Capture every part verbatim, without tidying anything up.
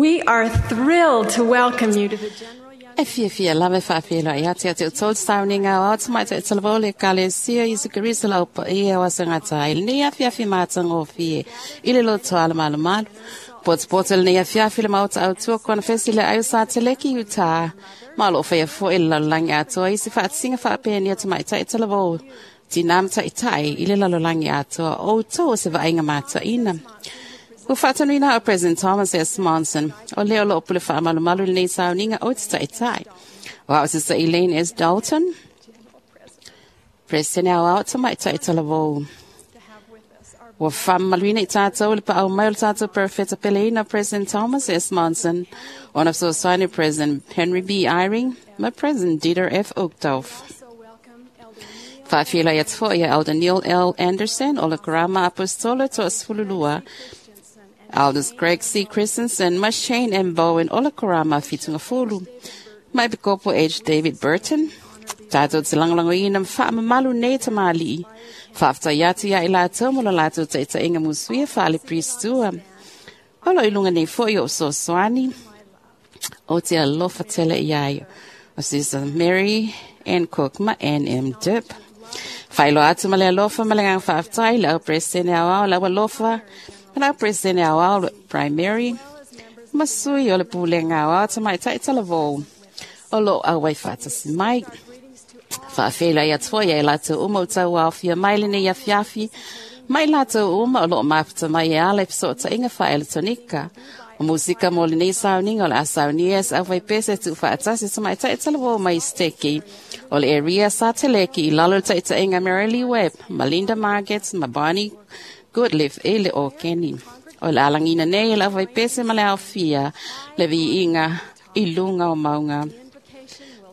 We are thrilled to welcome you to the General Young E fiafia lava e faafeiloai atu ia te outou sauniga o ao tamaitai talavou le Ekalesia Iesu Keriso lau paia o asagata ai lenei afiafi matagofie i le loto alamalumalu. Potopoto lenei afiafi le maota autua konefesi le ai o Sateleki Utah. Ma o loo faia fo'i le lalolagi atoa i se faatasiga faapenia tamaitai talavou tinā ma taʻitaʻi i le lalolagi atoa o outou o se vaaiga mataʻina. Ua faatanuina o President Thomas S. Monson o lea o loo pule faamalumalu lenei sauniga o te taʻitaʻi. O ao Sister Elaine S. Dalton, President ao ao tamaitai talavou. Ua faamamaluina i tatou le paau mai o le tatou Profeta peleina President Thomas S. Monson, ona fesoasoani President Henry B. Eyring ma President Dieter F. Uchtdorf. also welcome Elder Neil Faafeiloai atu fo'i ia Elder Neil L. Anderson o le Karama Apostolo Toasefululua, Christensen and Elders Greg C. Christensen ma Shane M. Bowen o le Karama Fitungafulu, ma Epikopo H. David Burton, tatou te lagolagoina ma faamamalu nei tamalii. Faafetai atu ia i latou mo lo latou taʻitaʻiga musuia faale-Pristua. O loo i luga nei fo'i o fesoasoani o te alofa tele iai o Sister Mary Ann Cook ma Ann M. Dip. Faailoa atu ma le alofa ma le agaga faafetai le au Peresetene aoao le au alofa ma le au Peresetene aoao primary ma sui o le pulega aoao tamaitai talavou o loo auai faatasi mai. Faafeiloai atu foi ia i latou uma o tauaofia mai lenei afiafi, mai latou uma o loo mafuta mai e ala i fesootaiga faaeletonika. O musika mo lenei sauniga o le a saunia e se aufaipese tuufaatasi tamaitai talavou mai Steki o le area Sateleki i lalo o le taʻitaʻiga Mary Lee Webb ma Linda Margets ma Bonnie Goodliff e le Okeni. O le alagina nei e le aufaipese ma le aofia le viiga i luga o mauga. invocation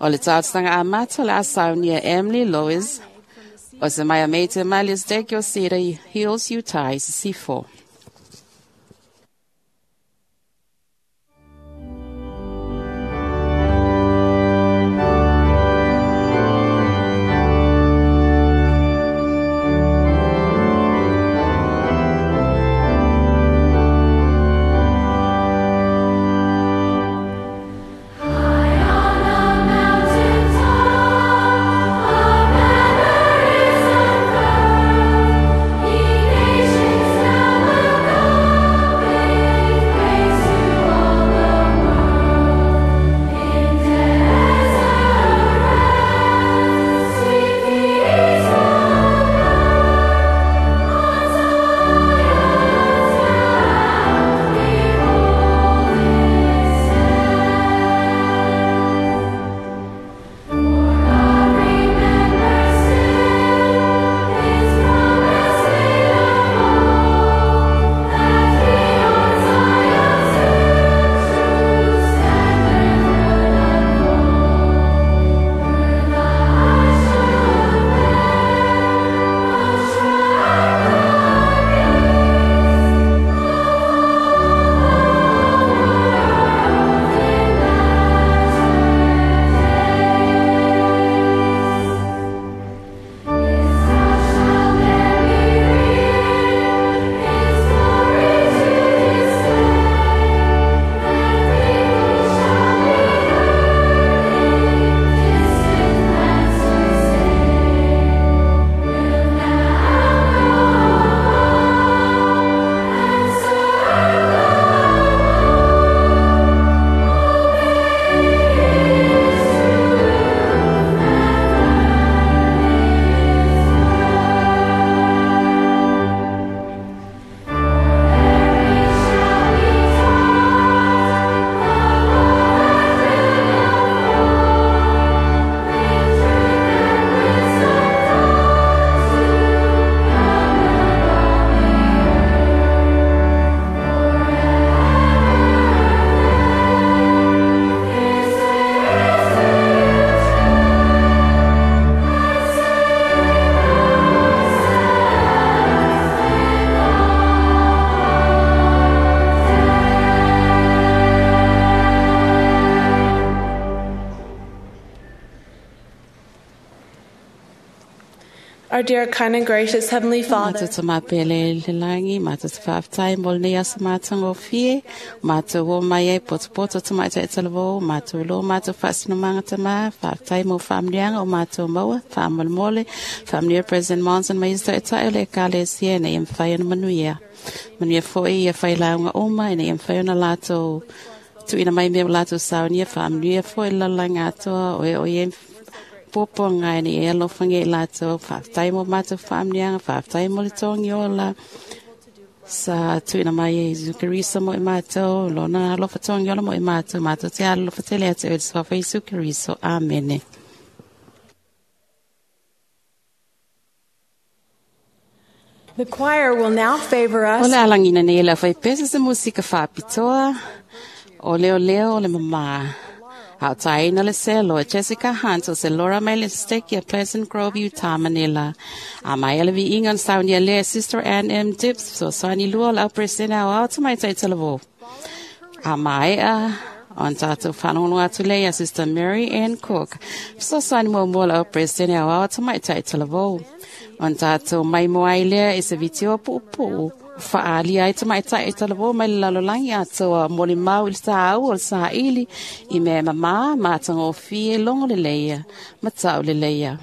O le talosaga amata o le a saunia Emily Lois o se mai a meite mai le Steki o Cedar Hills, Utah i Sisifo. Mountain top, a banner is unfurled. Ye nations now Our dear, kind and gracious Heavenly Father, Mātou te mapele le langi, mātou te whaaftai mo le nei asa mātou ngō fie, mātou o mai e poto poto te mai te talavō, mātou lo mātou whaasino manga te mā, whaaftai mo whaamnianga o mātou maua, whaamole, whaamnia President Monson mai isto e tae o le ekalesia nei e mwhai ana manuia. Manuia foi ia whai launga oma, nei e mwhai ana lātou, tuina mai mea o lātou saunia, whaamnia foi lalanga atoa, o e o e popo ngai ni e alofange i lātou, whaaftai mo mātou whaamnianga, whaaftai mo le tongi ola, sa tuina mai e Isu Keriso mo i mātou, lona alofa tongi ola mo i mātou, mātou te alofa tele atu e te sofa Isu Keriso. Amene. The choir will now favor us O le alangina nei la whai pesa se musika whapitoa, o leo leo o le mama. Au taina le selo e Jessica Hunt o se Laura May Stick ia Pleasant Grove, Utah, Manila. A mai ele vi ingan saunia le Sister Ann M. Dips so sani lua la presena o au mai tai telavo. A mai a on tātou whanongo atu le ia Sister Mary Ann Cook. So sani mo mo la presena o au mai tai telavo. On tātou mai moai lea e se vitio pupu. Whaali ai te mai tai talavō mai le lalolangi atoa moli mau i le sāu o le sāili i mea mamā mātanga o fie longo le leia, matau le leia.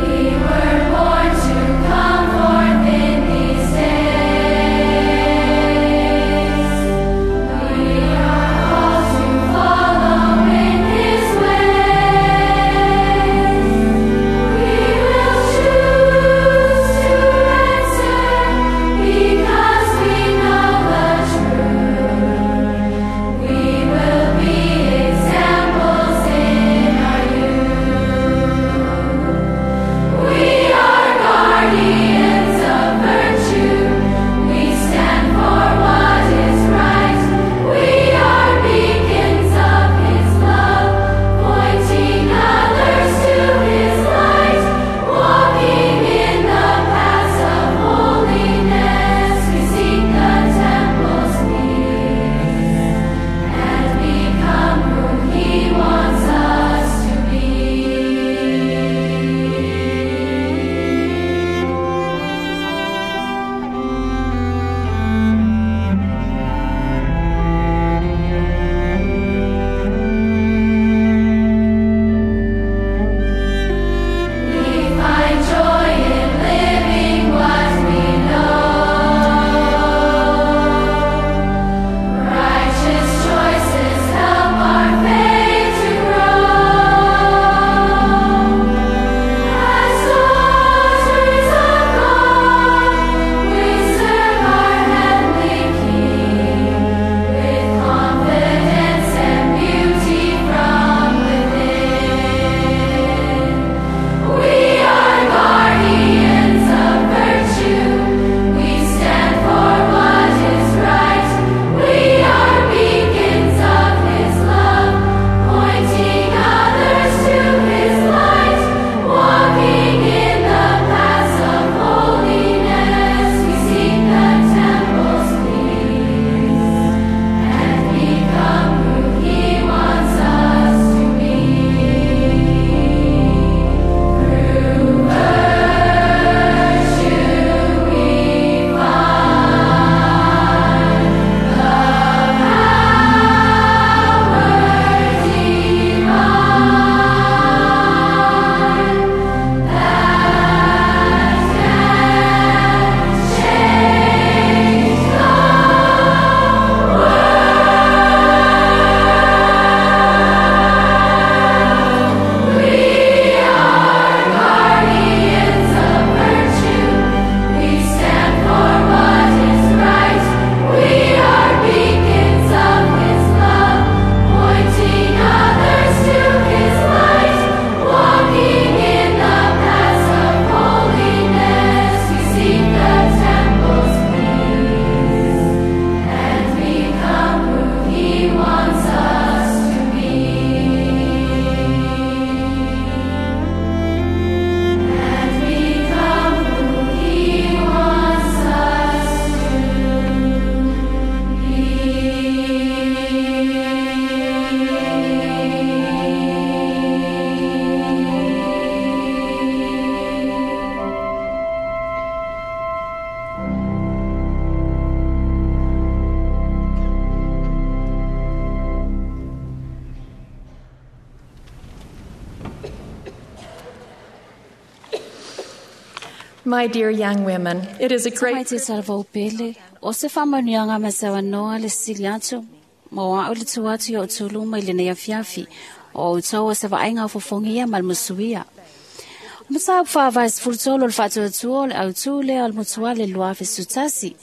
We were My dear young women, it is a great Te salvaupele, o se whamanianga me se wanoa le sili atu, ma wa o le tu atu i o tūluma i le nei afiafi, o o tau o se vaenga o fofongia ma le musuia. Masa whawais fultolo le whatuatua le au tū le al mutua le luafe sutasi.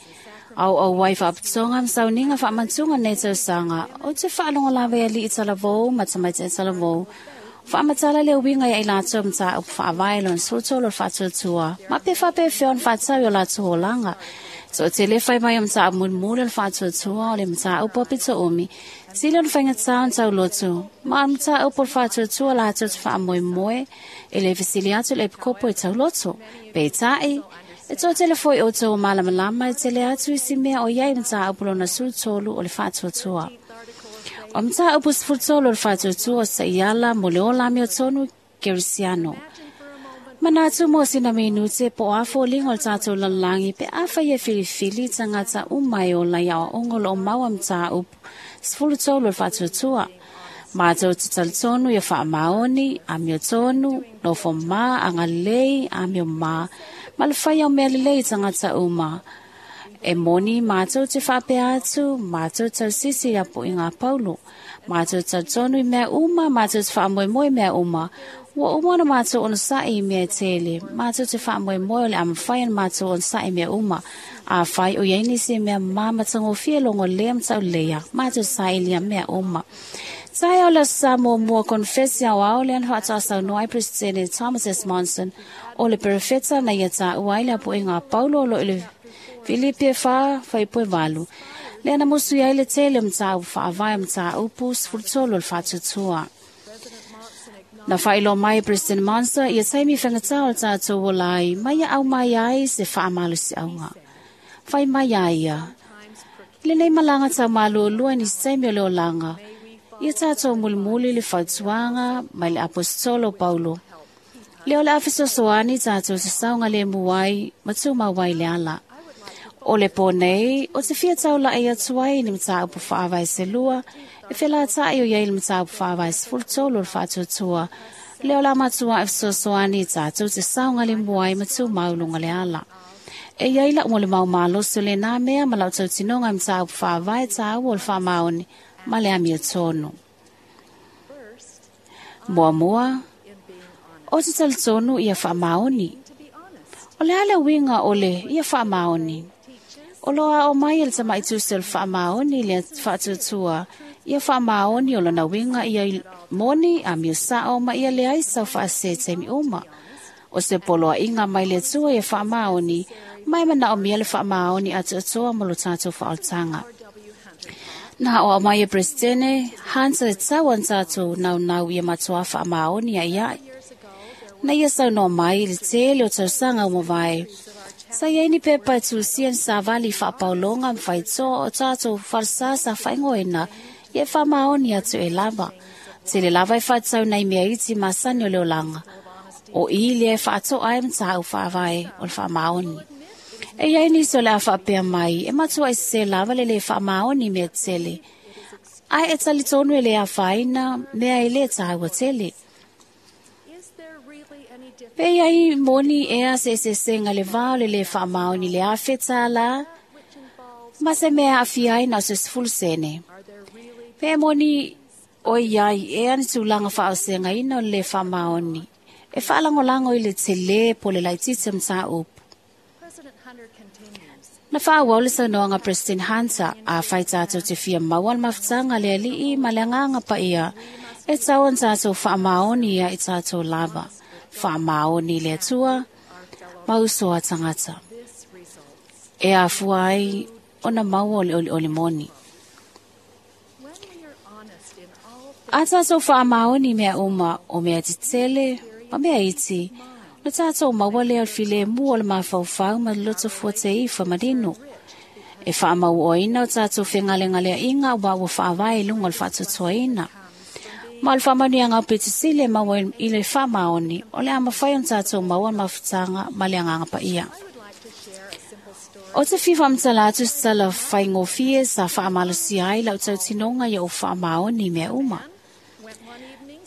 Au au wai whaaptonga msauninga whaamantunga nei tausanga, o te whaalonga lawe ali i talavou, matamaite i talavou. Whaamatala le winga ia i lātou mta upu whaawai lon sutolo le whatuatua. Ma pe whape whion whatau i o lātou holanga. So te le whai mai o mta munmule le whatuatua o le mta upu apito umi. Sili on whainga tau tau lotu. Ma mta upu le whatuatua lātou te whaamoe moe e le fisili atu le pikopo i tau lotu. Pe tai, e tō te le foi o tō malamalama e te le atu i si mea o iai mta upu lona sutolu o le whatuatua. O mta upu sfutolo le whatuatua o sa iala mo le ola mi o tonu Kerisiano. Manatu mo sina minute po afo lingo le tātou lalangi pe afa ia filifili tangata umai o lai au ongolo o maua mta upu sfulutolo le whatuatua. Mātou te talitonu ia whaamaoni, amio tonu, nofo mā, angalei, amio mā, ma le whai au mea lelei tangata uma. E moni mātou te whapea atu, mātou tau sisi ia po i ngā paulo. Mātou talitonu i mea uma, mātou te whaamoemoe mea uma. Ua uma na mātou ona sa'i i mea tele, mātou te whaamoemoe o le amawhai ana mātou ona sa'i mea uma. A whai o iaini se mea māmatangofia longo lea mtau lea, mātou sa'i lia mea uma. Tai o le sa mua mua konfesi au au le anha tāsau noai President Thomas S. Monson o le perefeta na ia tā uai le apo i ngā paulo o lo i le Filipe wha whaipoe walu. Le ana musu ia i le tele mta u whaawai mta upu sfurtolo le whatutua. Na whailo mai President Monson ia taimi whangatau o tātou o lai mai au mai ai se whaamalu si aunga. Whai mai ai ia. Le nei malanga tau malu lua ni taimi o le olanga. Ia tātou mulimuli le whatuanga mai le apostolo Paulo. Le o le afisosoani tātou se saunga le muai matu mawai le ala. O le pōnei, o te fia tau la e atu ai ni mta upu whaawai se lua, e whila tai o iei le mta upu whaawai se fultolo le whatuatua. Le o la matua e fesoasoani tātou te saunga le muai matu maulunga le ala. E iei la mo le mau maloso le nā mea ma lau tau tinonga mta upu whaawai tāu o le whaamaoni ma le amia tonu. Mua mua, o te talitonu ia whaamaoni. O le ale winga o le ia whaamaoni. O loa o mai ele tamai tuse o le whaamaoni le whaatutua. Ia whaamaoni o lona winga ia moni a mio sao ma ia le aisa o whaasete mi uma. O se poloa inga mai le tua ia whaamaoni, mai mana o mia le whaamaoni atuatua mo lo tātou whaoltanga. Nā o mai e Presidente, Hansa e tau an tātou nau nau ia matua whaamaoni a iai. Na ia sau no mai le tele o tausanga o mawai. Sa iei ni pepa e tūsia ni sāwali whaapaulonga mwhaitoa o tātou wharsasa whaingoina i e whamaoni atu e lava. Tele lava e whaitau nei mea iti masani o le olanga. O i le e whaatoa ai mtāu whaawai o le whamaoni. E iei ni so le a whaapea mai e matua i se lava le le whamaoni mea tele. Ai e talitonu e le a whaina mea e le tāua tele. Pe iai moni ea se se senga le vao le le whaamaoni le awheta la, ma se mea awhi ai na se sfulu sene. Pe moni o iai ea ni tūlanga whaosenga ina o le whaamaoni. E whaalangolango i le tele po le laitite mta upu. Na whaawau le saunoanga President Hunter a whai tātou te whia maual mafutanga le alii ma le anganga pa ia e tau an tātou whaamaoni ia i tātou lava. Whaamaoni le atua, mausoa tangata. E afua ai ona maua o le oli oli moni. A tātou whaamaoni mea uma o mea titele, ma mea iti, na tātou maua lea o le file mua o le mafaufau ma le loto fua te ifa manino. E whaamau oina o tātou whengalengalea inga ua ua whaawai lunga o le whaatutuaina. Ma le whaamanuianga o petisile maua i le whaamaoni o le amawhai o tātou maua mafutanga ma le anganga pa ia. O te whiwha mtala atu se tala whaingofie sa whaamalosi ai lau tautinonga ia o whaamaoni mea uma.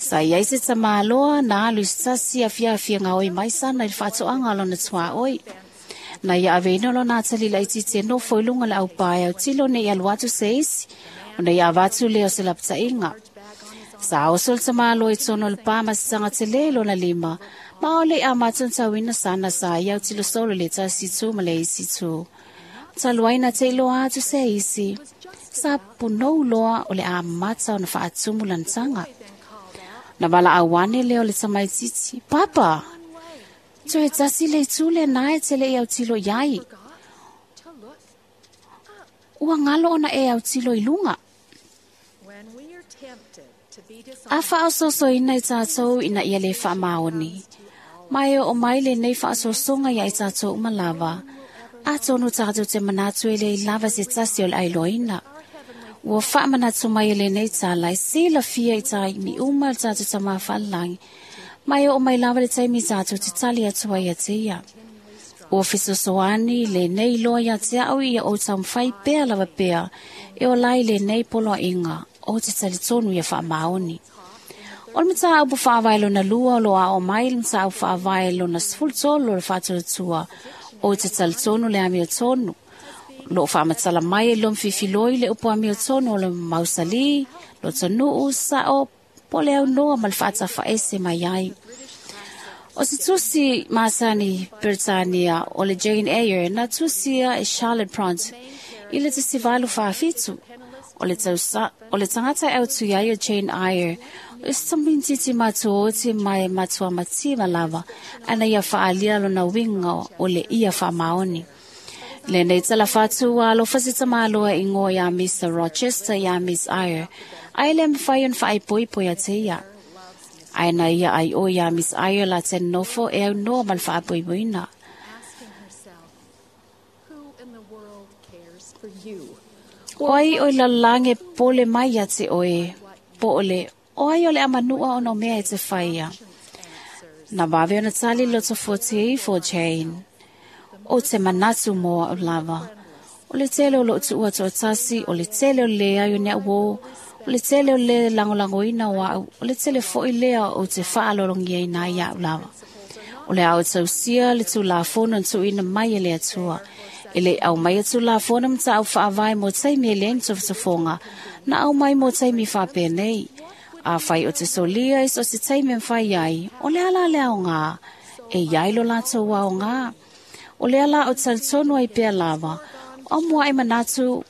Sa iai se tamāloa na alu i se tasi afiafi e gaoi mai sana i le faatoaga o lona tuaoi. Na ia aveina lona atalii laitiiti e nofo i luga o le aupā e autilo neʻi alu atu se isi, ona ia avatu lea o se lapataʻiga. Sa oso le tamāloa i totonu o le pā ma se taga telē i lona lima, ma o leʻi amata ona tauina sana sa ia autilo solo i le tasi itu ma le isi itu. Talu ai na te iloa atu se isi, sa punou loa o le amata ona faatumu lana taga. Na valaau ane lea o le tamaitiiti, "Papa, toe tasi le itu lenā e te leʻi autilo i ai. Ua galo ona e autilo i luga." A faaosoosoina i tatou ina ia lē faamaoni, ma e oo mai lenei faaosoosoga iā i tatou uma lava, atonu tatou te manatu e leai lava se tasi o le ailoaina. Ua faamanatu mai e lenei tala e silafia i taimi uma le tatou Tamā faalelagi, ma e oo mai lava le taimi tatou te tali atu ai ia te ia. Ua fesoasoani lenei iloa ia te au ia ou taumafai pea lava pea e ola ai lenei poloaiga ou te talitonu ia faamaoni. O le mataupu faavae lona lua o lo o aoao mai le mataupu faavae lona sefulu tolu o le faatuatua ou te talitonu le amiotonu. O loo faamatala mai e lomi fifiloi le upu amiotonu o le mausalī, lotonuu, sao, po o le aunoa ma le faatafaese mai ai. O se tusi masani Peretania o le Jane Eyre na tusia e Charlotte Bronte i le tasi valu faafitu. O le, tausa, o le tagata e autu ai o Jane Eyre, o se tamaitiiti matuaoti mai matua mativa lava, ana ia faaalia lona uiga o le ia faamaoni. Lenei tala fatu ua alofa se tamāloa igoa iā Mister Rochester iā Miss Eyre, ae le mafai ona faaipoipo ia te ia. Ae na ia ai o iā Miss Eyre la te nofo e aunoa ma le faapoipoina. O ai o i lalolagi e popole mai ia te oe, po o le o ai o le amanua ona o mea e te faia. Na vave ona tali le loto fuatia ifo o Jane. Ou te manatu mo au lava. O le tele o lou tuua toatasi, o le tele o le leai o ni au uō, o le tele o le lagolagoina o au, o le tele foi lea ou te faalologiaina ai iaʻu lava. O le a ou tausia le Tulafono na tuuina mai e le Atua. E le i aumaia Tulafono ma mataupu faavae mo taimi e leai ni tofotofoga, na aumai mo taimi faapenei. Afai ou te solia i so o se taimi e mafai ai, o le a la le aogā? E i ai lo latou aogā. O lea la ou te talitonu ai pea lava, o muaʻi manatu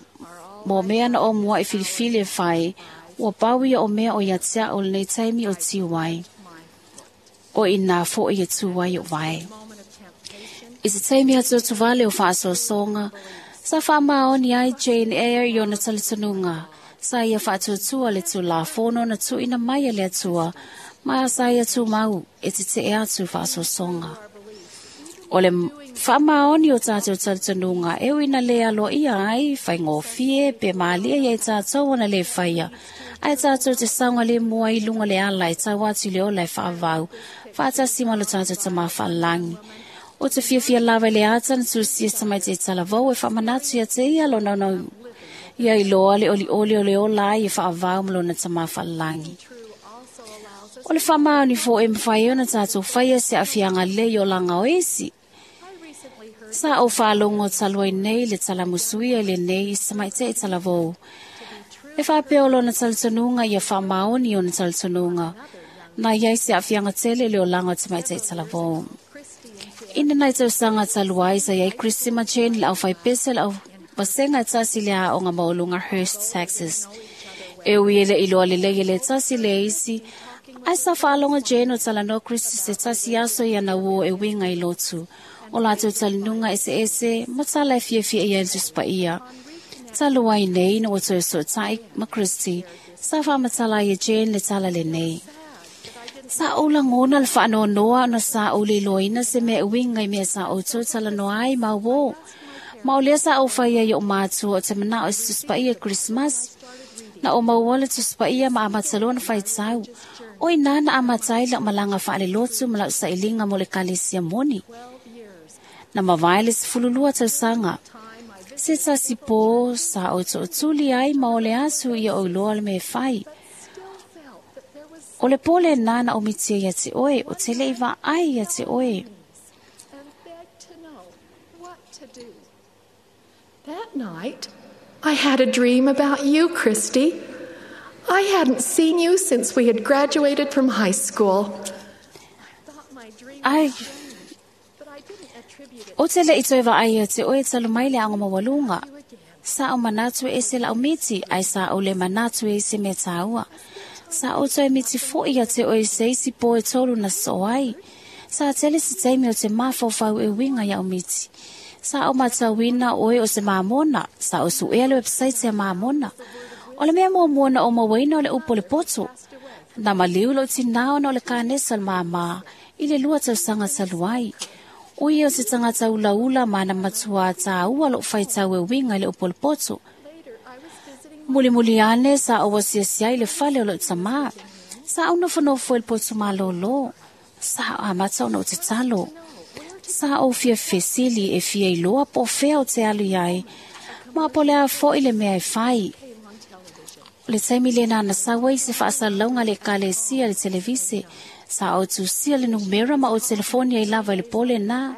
mo mea na ou muaʻi filifili e fai, ua pau ia o mea o ia te aʻu lenei taimi o tiu ai. O inā foʻi e tū ai o vae. I se taimi atuatuvale o faaosoosoga, sa faamaoni ai Jane Eyre i ona talitonuga, sa ia faatuatua le Tulafono na tuuina mai e le Atua, ma sa ia tumau e tetee atu i faaosoosoga. O le faamaoni o tatou talitonuga e ui ina lē aloaia ai, faigofie pe malie ia i tatou ona lē faia, ae tatou te saogalemu ai i luga o le ala e tau atu i le ola e faavavau, faatasi ma lo tatou Tamā faalelagi. O te fiafia lava i le ata na tusia se tamaiti e talavou e faamanatu ia te ia lona ona ia iloa le olioli o le ola ai e faavavau ma lona Tamā faalelagi. O le faamaoni foʻi e mafai ai ona tatou faia se aafiaga lelei i olaga o isi. Sa ou faalogo talu ai nei le talamusuia i lenei i se tamaitaʻi talavou. E faapea o lona talitonuga ia faamaoni ona talitonuga, na i ai se aafiaga tele i le olaga o tamaitaʻi talavou. Ina nai tausaga talu ai sa i ai Christy ma Jane le aufaipese le au vasega e tasi i le aoga maualuga Hurst, Texas. E ui e leʻi iloa lelei e le tasi le isi, ae sa faalogo Jane o talanoa Christy se tasi aso i ana uō e uiga i lotu, o latou talinuga eseese ma tala e fiafia i ai le Tusi Paia. Talu ai nei ina ua toe sootaʻi ma Christy, sa faamatala ai e Jane le tala lenei. Sa ou lagona le faanoanoa ona sa ou le iloaina se mea e uiga i mea sa outou talanoa ai ma uō. Ma o lea sa ou fai ai i oʻu matua ou te manao i se Tusi Paia i Kerisimasi. Na ou maua le Tusi Paia ma amata loa ona faitau. O inā na amata ai lau malaga faalelotu ma lau sailiga mo le ekalesia moni. Na mavae le sefululua tausaga. Se tasi pō sa ou tootuli ai ma o le atu ia ou iloa le mea e fai. O le pole nana o mitia ia te oe, o te leiva ai ia te oe. That night, I had a dream about you, Christy. I hadn't seen you since we had graduated from high school. Ai, o te le ito eva ai te oe talu mai le anga mawalunga. Sa o manatu e se lau miti, ai sa o le manatu e se me tāua. Sa o toe miti fo ia te oe se isi po e tolu na so ai. Sa tele se teimi o te mafofau e winga ia o miti. Sa o matauina oe o se mamona, sa o su ea le website se mamona. O le mea muamua o mawaina o le upo le poto. Na maliu lo tinao na o le kanesa le mama, i le lua tausanga taluai. O ia o se tangata ula ula mana matua tāua lo whaitau e winga i le upo le poto. Muli muli ane sa o wasiasia i le fale o lo tama. Sa o nofonofo e le poto malolo. Sa o amata o no te talo. Sa o fia fesili e fia iloa po fea o te alu iai. Ma po lea fo i le mea e fai. O le taimi le nana sawa i se whaasalaunga le kalesia le televise. Sa o tusia le numera ma o telefoni ai lava i le pole nā.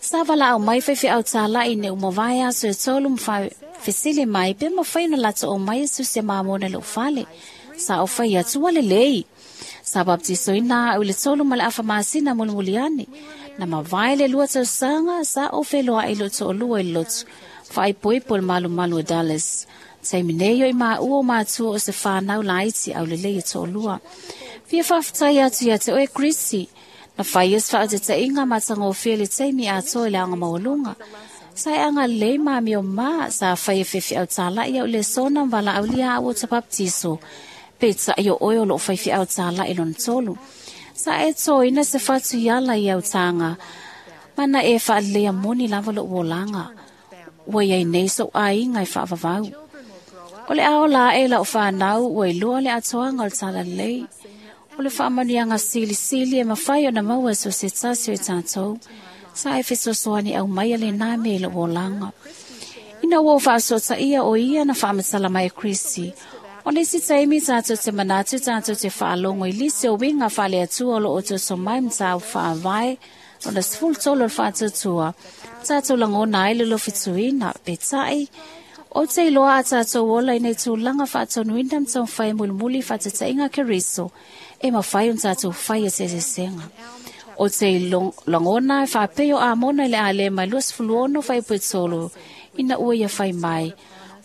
Sa wala au mai whaiwhi au tālai ne umawai aso e tolu mwha fesili mai pe mawhai na lata o mai su se mamona le ufale. Sa o whai atua le lei. Sa baptiso ina au le tolu ma le afamasina mulimuliane. Na mawai le lua tausanga sa o wheloa i loto o lua i lotu. Whai poipo le malu malu o Dallas. Taimi nei o i maa ua o mātua o se whānau laiti au le lei e to'olua. Fia whawhitai atu ia te oe Christy. Na whai es whaatete inga matanga o fia le taimi atoa i le anga mawalunga. Sa e anga lei maami o mā sa whai e whiwhi au tālai au le sona mwala au lia au o te baptiso. Pe tai o oe o lo whai au tālai lona tolu. Sa e tō ina se whatu iala i au tānga. Mana e whaalea moni lava lo uolanga. Ua iai nei so ai ngai whaavavau. O le ao la e lau whanau ua iloa le atoanga o le tala lei. O le whaamanuianga sili sili e mawhai o na maua so se tasi o i tātou. Sa e fesoasoani au mai ale nā me le uolanga. Ina ua whaasota ia o ia na whaamatala mai e Kristi. O nisi taimi tātou te manatu tātou te whaalongo i lisi o winga whale atua o lo o toto mai mtāu whaawai o na sifulu tolu o le whaatutua. Tātou langona ai le lofituina pe tai. O te iloa a tātou ola i nei tūlanga whaatonuina mtau whai mulimuli whaatatainga Keriso e mawhai on tātou whai e te sesenga. O te langona e whaapeo a mona i le ale mai lua sifulu ono whai puetolo ina ua ia whai mai.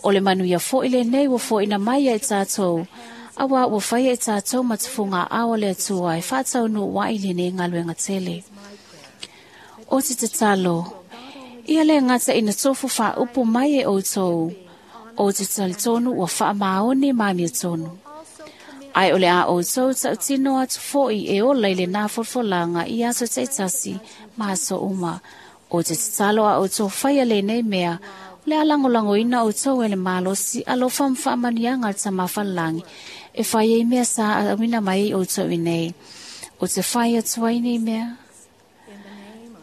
O le manu ia fo i le nei ua fo ina mai e tātou. Awa ua whai e tātou matufunga ao le atua e whātau nu wa i le nei ngaluenga tele. O te tatalo, ia le ngata ina tofu wha upu mai e outou. O te talitonu ua wha maone maami tonu. Ai ole a outou tautino atu foi e ola i le nā folfolanga i aso teitasi ma aso uma. O te tatalo a outou whai a le nei mea, o le alangolango ina outou e le malosi alofa mwhaamanianga le tamawhalangi e whai e mea sa a wina mai outou i nei. O te whai atua i nei mea.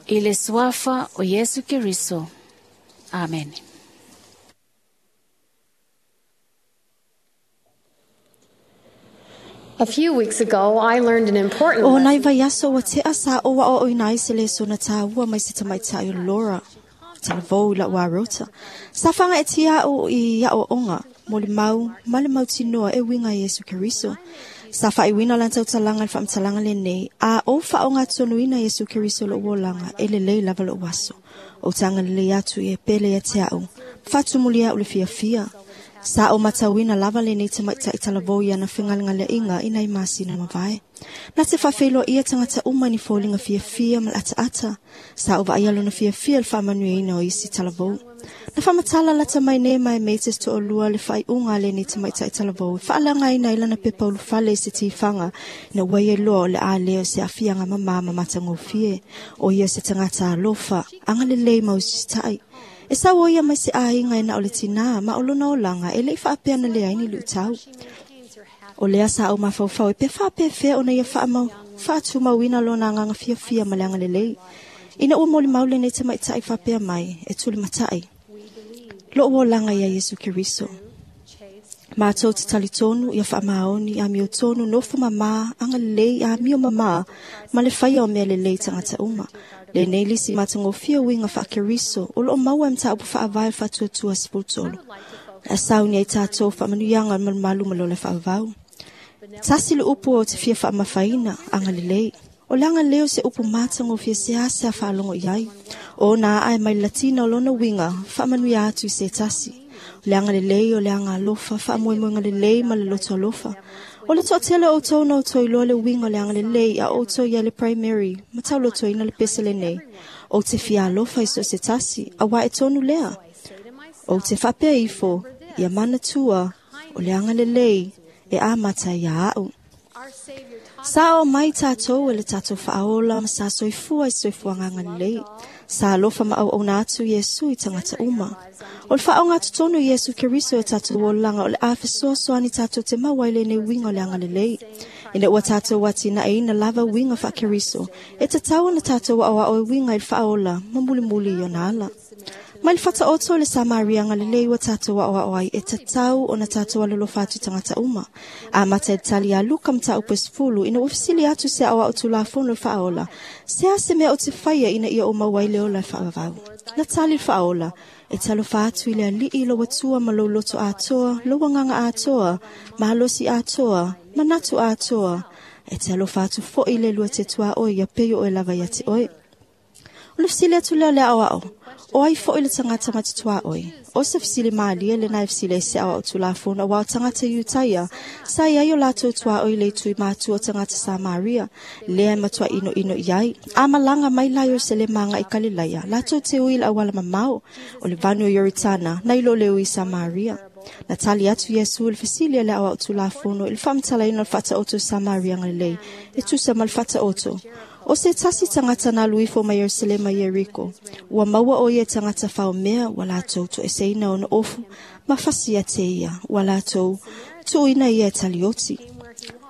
I le suafa o Yesu Keriso. Amen. A few weeks ago, I learned an important O lesson. nai vai aso o te asa o wa o inai se le sona tāua mai se tamaitai o Laura. Talavou la wa rota. Sa whanga e tia o i ia o onga, mo le mau, ma le mau tinoa e winga Yesu Keriso. Sa wha i wina lan tautalanga le whaamtalanga le nei, a o whaonga tonuina Yesu Keriso lo uolanga e le lei lava lo waso. O tanga le lei atu i e pele ia te au, whatumulia o le fia fia. Sa o matauina lava le nei te maitai talavou ia na whengalenga le inga ina i masina mavae. Na te whawheilo ia tangata uma ni fōlinga fia fia ma ata ata. Sa o vaia lona fia fia le whamanui ina o isi talavou. Na whamatala lata mai nei mai meites to o lua le whai unga le nei te maitai talavou. Whaalanga ina ilana pepa ulufale se tifanga na waie loa o le a leo se afianga mama matangofie. O ia se tangata alofa, anga le lei mausistai. E sa o ia mai se ainga e na o le tina, ma o lona o langa, e le i whaapea na le aini lu tau. O lea sa o mafaufau e pe whaapea fea o na ia whaamau, whaatumauina lona nganga fia fia ma leanga le lei. Ina ua moli maule nei te maitai whaapea mai, e tuli matai. Lo o langa ia Yesu Keriso. Mātou te talitonu ia whaamaoni a mio tonu nofo mama anga lelei a mio mama ma le whaia o mea lelei tangata uma. Le nei lisi matangofia winga whaakeriso o loo maua mta upu whaavai whatuatua sipultolo. A sau ni ai tātou whaamanuianga malumalu malola whaavau. Tasi le upu o te fia whaamafaina anga lelei. O le anga leo se upu matangofia se ase a whaalongo iai. O nā ai mai latina o lona winga whaamanuia atu i se tasi. O le anga lelei o le anga alofa whaamoemoenga lelei ma le loto alofa. O le toatele o tau na o toi loa le winga o le anga lelei a o tau ia le primary ma tau loto ina le pesele nei. O te fia alofa i so se tasi a wa e tonu lea. O te whapea ifo ia manatua o le anga lelei e a mata ia au. Sa o mai tātou e le tātou whaola ma sa soifua i soifua nganga lelei. Sa alofa ma au auna atu Yesu i tangata uma. O le whaonga tonu Yesu Keriso e tātou olanga o le awhesoa soani tātou te mawaile nei winga o le anga lelei. Ina ua tātou wati na eina lava winga wha Keriso. E te tau na tātou wa o e winga i whaola ma muli muli i ona ala. Mai le whata oto le Samaria nga lelei wa tātou wa oa oai e tatau o na tātou alolo whatu tangata uma. A mata e tali a luka mta upes fulu ina ufisili atu se awa o tulafono whaola. Se a se mea o te whaia ina ia o mawaile o la whaavau. Na tali whaola e talo whatu i le alii lo watua ma lo loto atoa, lo wanganga atoa, mahalosi atoa, manatu atoa. E talo whatu fo i le lua te tua oi ia peyo o e lava ia te oi. O le fisili atu lea lea ao. O ai fo i le tangata matutua oi. O se fisili maalia le nai fisili e se awa o tulafono o wao tangata Yutaia. Sa ia o lātou tua oi le tui mātua o tangata Samaria. Lea matua ino ino iai. A malanga mai lai o sele manga i Kalilaia. Lātou te ui la awala mamao. O le vanu o Yoritana. Nai lo le ui Samaria. Na tali atu Yesu le fisili le awa o tulafono. I le whamtala ino le whata oto Samaria ngalei. E tusa ma le whata oto. O se tasi tangata na luifo mai Yerusalema Yeriko. Ua maua o ia tangata whao mea wa lātou to eseina ona ofu. Ma fasi ia te ia wa lātou tuina ia talioti.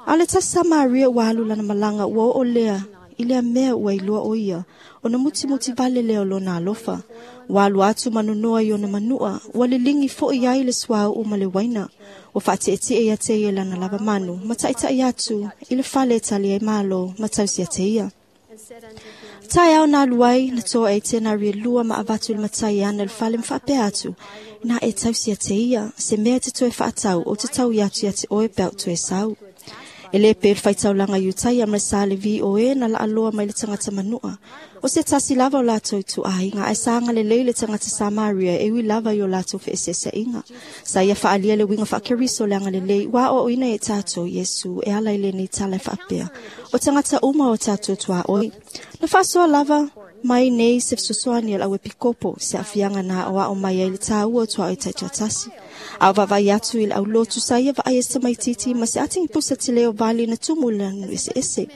Ale tasi Samaria wa alu lana malanga ua o lea i lea mea ua ilua o ia. Ona muti muti vale leo lona alofa. Wa alu atu manunoa i ona manua. Ua lilingi fo i ai le suau o male waina. O whaate e ia te ia lana lava manu. Mataitai atu i le fale tali e malo matausi a te ia. Tai au nā luai, na toa e tēnā ria lua ma avatu le matai ana le fale mwhapea atu. Nā e tausi a te ia, se mea te toe whaatau o te tau i atu ia te oe peo toe sau. E le pe whaitaulanga Yutaia ma sa le V O E na la aloa mai le tangata manua. O se tasi lava o lātou tu ahinga, ai saanga le lei le tangata Samaria e ui lava i o lātou whaesesa inga. Sa ia whaalia le winga whakeriso le anga le lei, wā o ina e tātou Yesu e ala i le nei tala e whaapea. O tangata uma o tātou tua oi. Na whaasoa lava mai nei se fesoasoani a le auepikopo se afiaga na aoao mai ai le tāua o tuaʻo i taitoatasi. A o vaavaai atu i le aulotu sa ia vaai e samaititi ma se atigipusa tele o vali na tumu i lana eseese.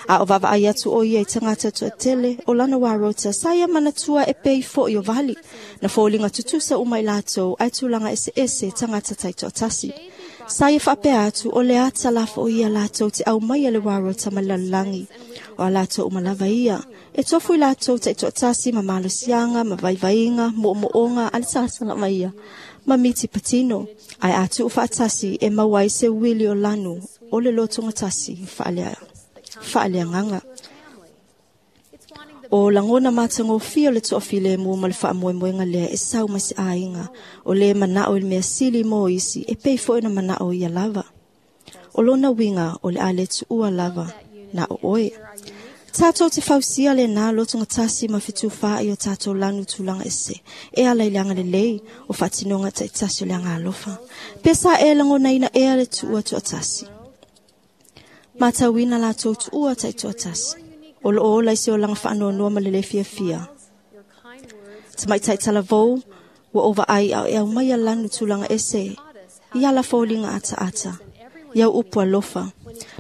A o vaavaai atu o ia i tagata toatele o lana uarota sa ia manatua e pei foʻi o vali. Na foliga tutusa uma i latou ae tulaga eseese tagata taitoatasi. Sa ia faapea atu o le ata lafo o ia latou te au mai a le uarota ma le lalolagi. O a latou uma lava ia. E tofu i latou taitoatasi ma malosiaga ma vaivaiga moomooga a le salasala mai ia. Ma miti patino, ai atu o faatasi e maua ai se uili o lanu o le lotogatasi faaleagaga. O langona matagofia o le toafilemu ma le faamoemoega lea e sau mai se aiga o le manao i le mea sili mo isi e pei foʻi na manao ia lava. O lona uiga o le a le tuua lava na o oe. Tātou te fausia le nā lotogatasi ma fetufā i o tātou lanu tulaga ese. E ala i le aga lelei o faatinoga taitasi o le aga alofa. Pe sa e lagonaina ea le tuua toatasi. Matauina latou tuua taitoatasi. O loo ola i se olaga faanoanoa ma le lē fiafia. Tamaitai talavou ua ovaai ao e aumai a lanu tulaga ese i ala foliga ataata. Iau upu alofa.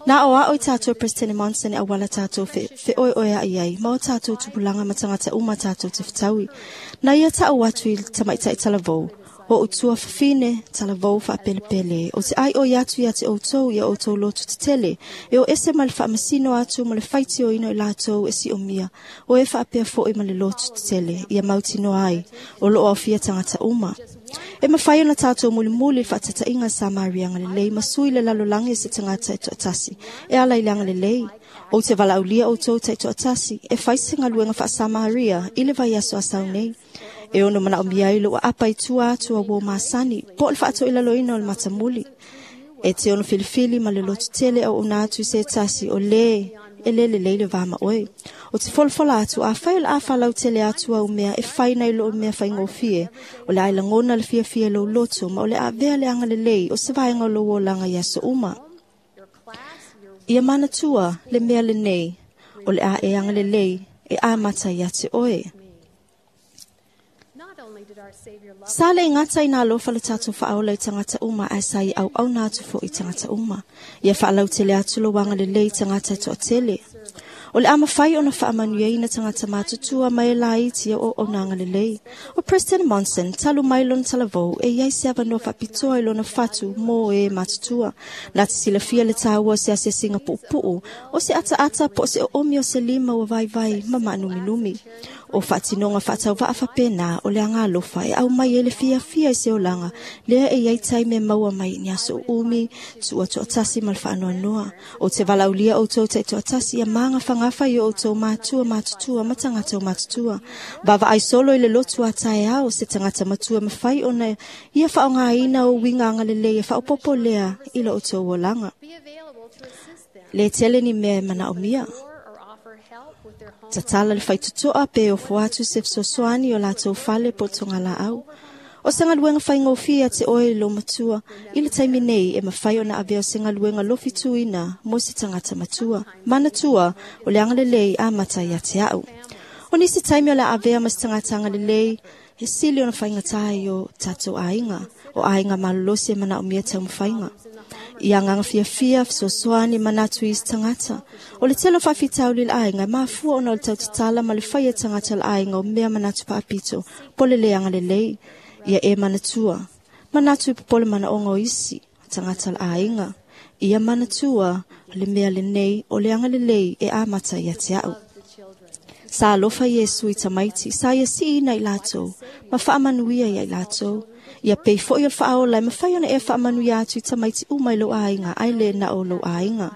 Nā o ao i tātou President Monson e awala tātou fe, fe oe oe a iai, ma o tātou tupulanga ma tangata uma tātou te whitaui. Nā ia tāu atu i tamaitai talavou, o utua fafine talavou whaapelepele, o te ai o atu ia te outou ia outou lotu te tele, e o ese ma le whaamasino atu ma le whaiti o ino i lātou e si o mia, o e whaapea fo'i ma le lotu te tele, ia mautino ai, o loo aufia tangata uma. E mawhai ona tātou mulimuli whaatatainga sa Maria ngalelei masui le lalolagi se tangata e toatasi. E ala i le agalelei. O te valaulia o tau tai toatasi. E whai se ngaluenga wha sa Maria i le vai aso asau nei. E ono mana o miai lo apa i tua atua wo masani. Po le whaato i laloina o le matamuli. E te ono filifili ma le lotu tele au ona atu se tasi o le e lele leile vama oe. O te folofola atu a whai o le awha lau tele atu au mea e whai nei lo mea whai ngofie. O le aila ngona le fia fia lo loto ma o le avea le anga le lei o se vaenga o lo o langa ia so uma. Ia mana tua le mea le nei o le a e anga le lei e a mata ia te oe. Sa le ngata i nā lofa le tātou whaola i tangata uma ai sa i au au nā atu fo i tangata uma. Ia whaalau tele atu lo wanga le lei tangata e toa tele. O le ama whai ona whaamanuia ina tangata mātutua mai la iti o o nanga le lei. O President Monson, talu mai lona talavou e iai se avanoa whapitoa i lona whatu mō e mātutua. Nā te silafia le tāua se asesinga pu'upu'u, o se ata ata po se o omi o se lima o vai vai ma maanuminumi. O whaatinonga whaatau vaawhapena o le anga alofa e au mai ele fia fia i se olanga lea e iai tai me maua mai ni aso umi tua toatasi ma le whaanoanoa. O te valaulia o tau te toatasi ia maanga whangafa i o tau mātua mātutua ma tangata o mātutua. Vava ai solo i le lotu a tae ao se tangata matua mawhai ona ia whaongaina o winga angalele ia whaopopo lea i lo o tau olanga. Le tele ni mea e mana o mia. Tatala le whaitutoa pe o fuatu se fesoasoani o lātou fale po tonga la au. O se ngaluenga whaingofia te oe lo matua, i le taimi nei e mawhai ona avea o se ngaluenga lofi tuina mo se tangata matua. Mana tua o le angalelei a mata ia te au. O nisi taimi o le avea ma se tangata angalelei, he sili ona whaingatai o tātou ainga, o ainga malolosi e mana o mia tau mwhainga. Ia nganga fia fia, fesoasoani manatu i tangata. O le telo whawhitau li ainga, mafua ona o le tau tatala ma le whai e tangata le ainga o mea manatu paapito, pole le anga le lei, ia e manatua. Manatu i popole mana ongo isi, tangata le ainga. Ia manatua, le mea le nei, o le anga le lei e amata ia te au. Sa alofa Yesu i tamaiti, sa ia si ina i lātou, ma whaamanuia ia i lātou. Ia pei foi o le whaola, ma whai ona e whaamanuia atu i tamaiti umai lo ainga, ai le na o lo ainga.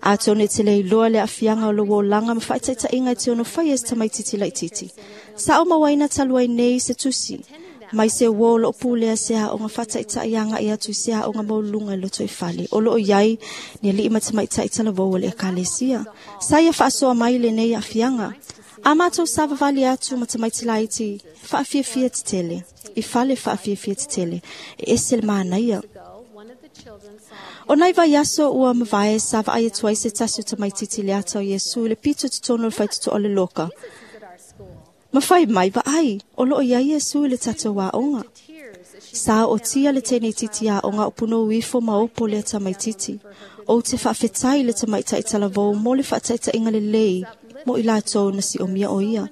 A tone te lei loa le afianga o lo wolanga ma whaitaita inga te ono whai es tamaiti ti laititi. Sa o mawaina taluai nei se tusi, mai se wo lo pulea se a onga whataita ianga i atu se a onga maulunga i loto i fale. O lo o iai, ni li ima tamaita i talavou o le ekalesia. Sa ia whaasoa mai le nei afianga. A mātou savavali atu ma tamaiti laiti, whaafiafia te tele. I fale whaafiafia te tele. E ese le mānaia. O nai vai aso ua mavae sa vaai atu ai se tasi o tamaititi le ata o Iesu le pito te tono le whaituto o le loka. Mawhai mai vaai, o loo ia Iesu le tatou aonga. Sa o tia le tēnei titi aonga o puno uifo ma opo le tamaititi. O te whaafetai le tamaitai talavou mo le whaataita inga le lei, mo i lātou na si o mia o ia.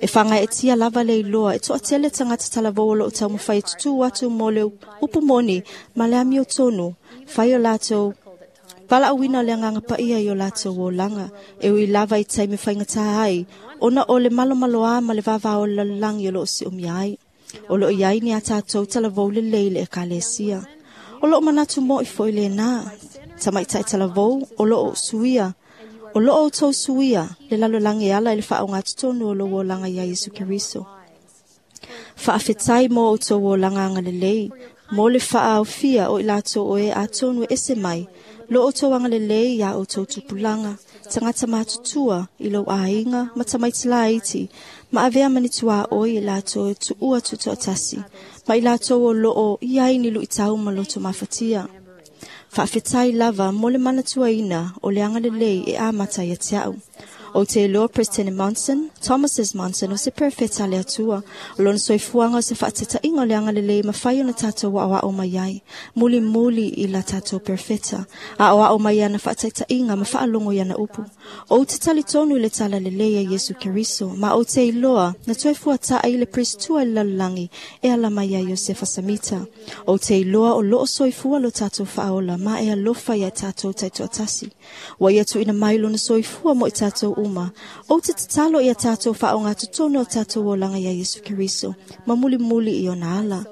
E whangai e tia lava le iloa, e toa tele tangata talavou o loo tau mawhai e tutu atu mo le upu moni ma le amio tonu, whai o lātou Wala awina le anganga paia i o lātou o langa, e ui lava i taimi whaingata ai, ona o le malomalo a ma le vava o lalangi o loo si umia ai. O loo iai ni a tātou talavou le lei le ekalesia. O loo manatu mo i foi le nā, tamaitai talavou o loo suia, o loo o tau suia, le lalolangi ala i le whaonga tutonu o loo o langa ia Yesu Keriso. Whaafetai mo o tau o langa anga le lei, mo le whaaofia o i lātou o e atonu e ese mai, lo o tau anga le lei ia o tau tupulanga, tangata mātutua i lau ainga, ma tamaiti laiti, ma avea manitua o i lātou e tuua tutoatasi, ma i lātou o loo i ai ni lui tau ma loto mafatia. Whaafetai lava mo le manatua ina o le anga le lei e amata ia te au. O te iloa President Monson, Thomas S. Monson o se perfeta le atua. O lona soifuaga o se faatetaiga o le agalelei mafai ona tatou aoao mai ai. Muli muli i la tatou perfeta. Aoao mai ana faataitaiga ma faalogo i ana upu. O te talitonu i le talalelei a Iesu Keriso, ma o te iloa na toe fuataai i le Pristua i le lalolagi e ala mai ai Iosefa Samita. O te iloa o loo soifua lo tatou faaola ma e alofa ia tatou taitoatasi. Ua ia tuuina mai lona soifua mo i tatou uma. O te tatalo ia tātou whaonga tutono o tātou olanga ia Yesu Keriso, ma muli muli i ona ala.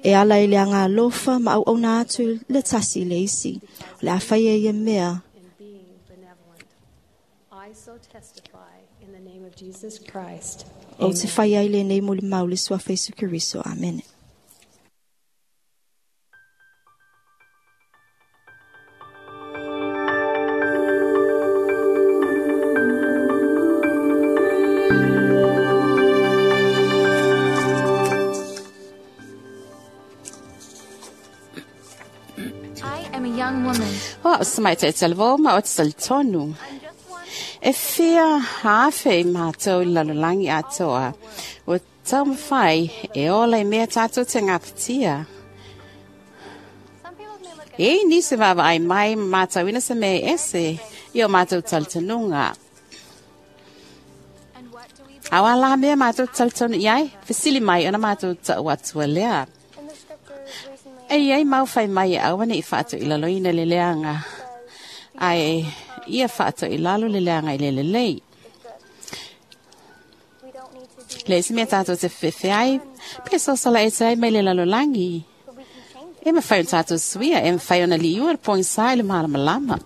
E ala i le anga alofa ma au auna atu le tasi le isi. O le awhai e ia mea. I so testify in the name of Jesus Christ. O te whai ai le nei muli mauli sua Yesu Keriso. Amen. O sa mai te talvo ma o tsaltonu. E fia hafe i mātou i lalolagi atoa. O taumafai e ola i mea tātou te ngapatia. E nisi vava ai mai mātou ina se mea ese i o mātou taltonunga. Awa la mea mātou taltonu iai, fesili mai ona mātou tau atua lea. E ai mau whai mai e awane i whaato i lalo ina le leanga. Ai ia whaato i lalo le leanga i le lelei. Le isi mea tātou te whiwhi ai, pe sosala e te ai mai le lalo langi. E mawhai o tātou suia, e mawhai o na liua le pongi sa i le malamalama.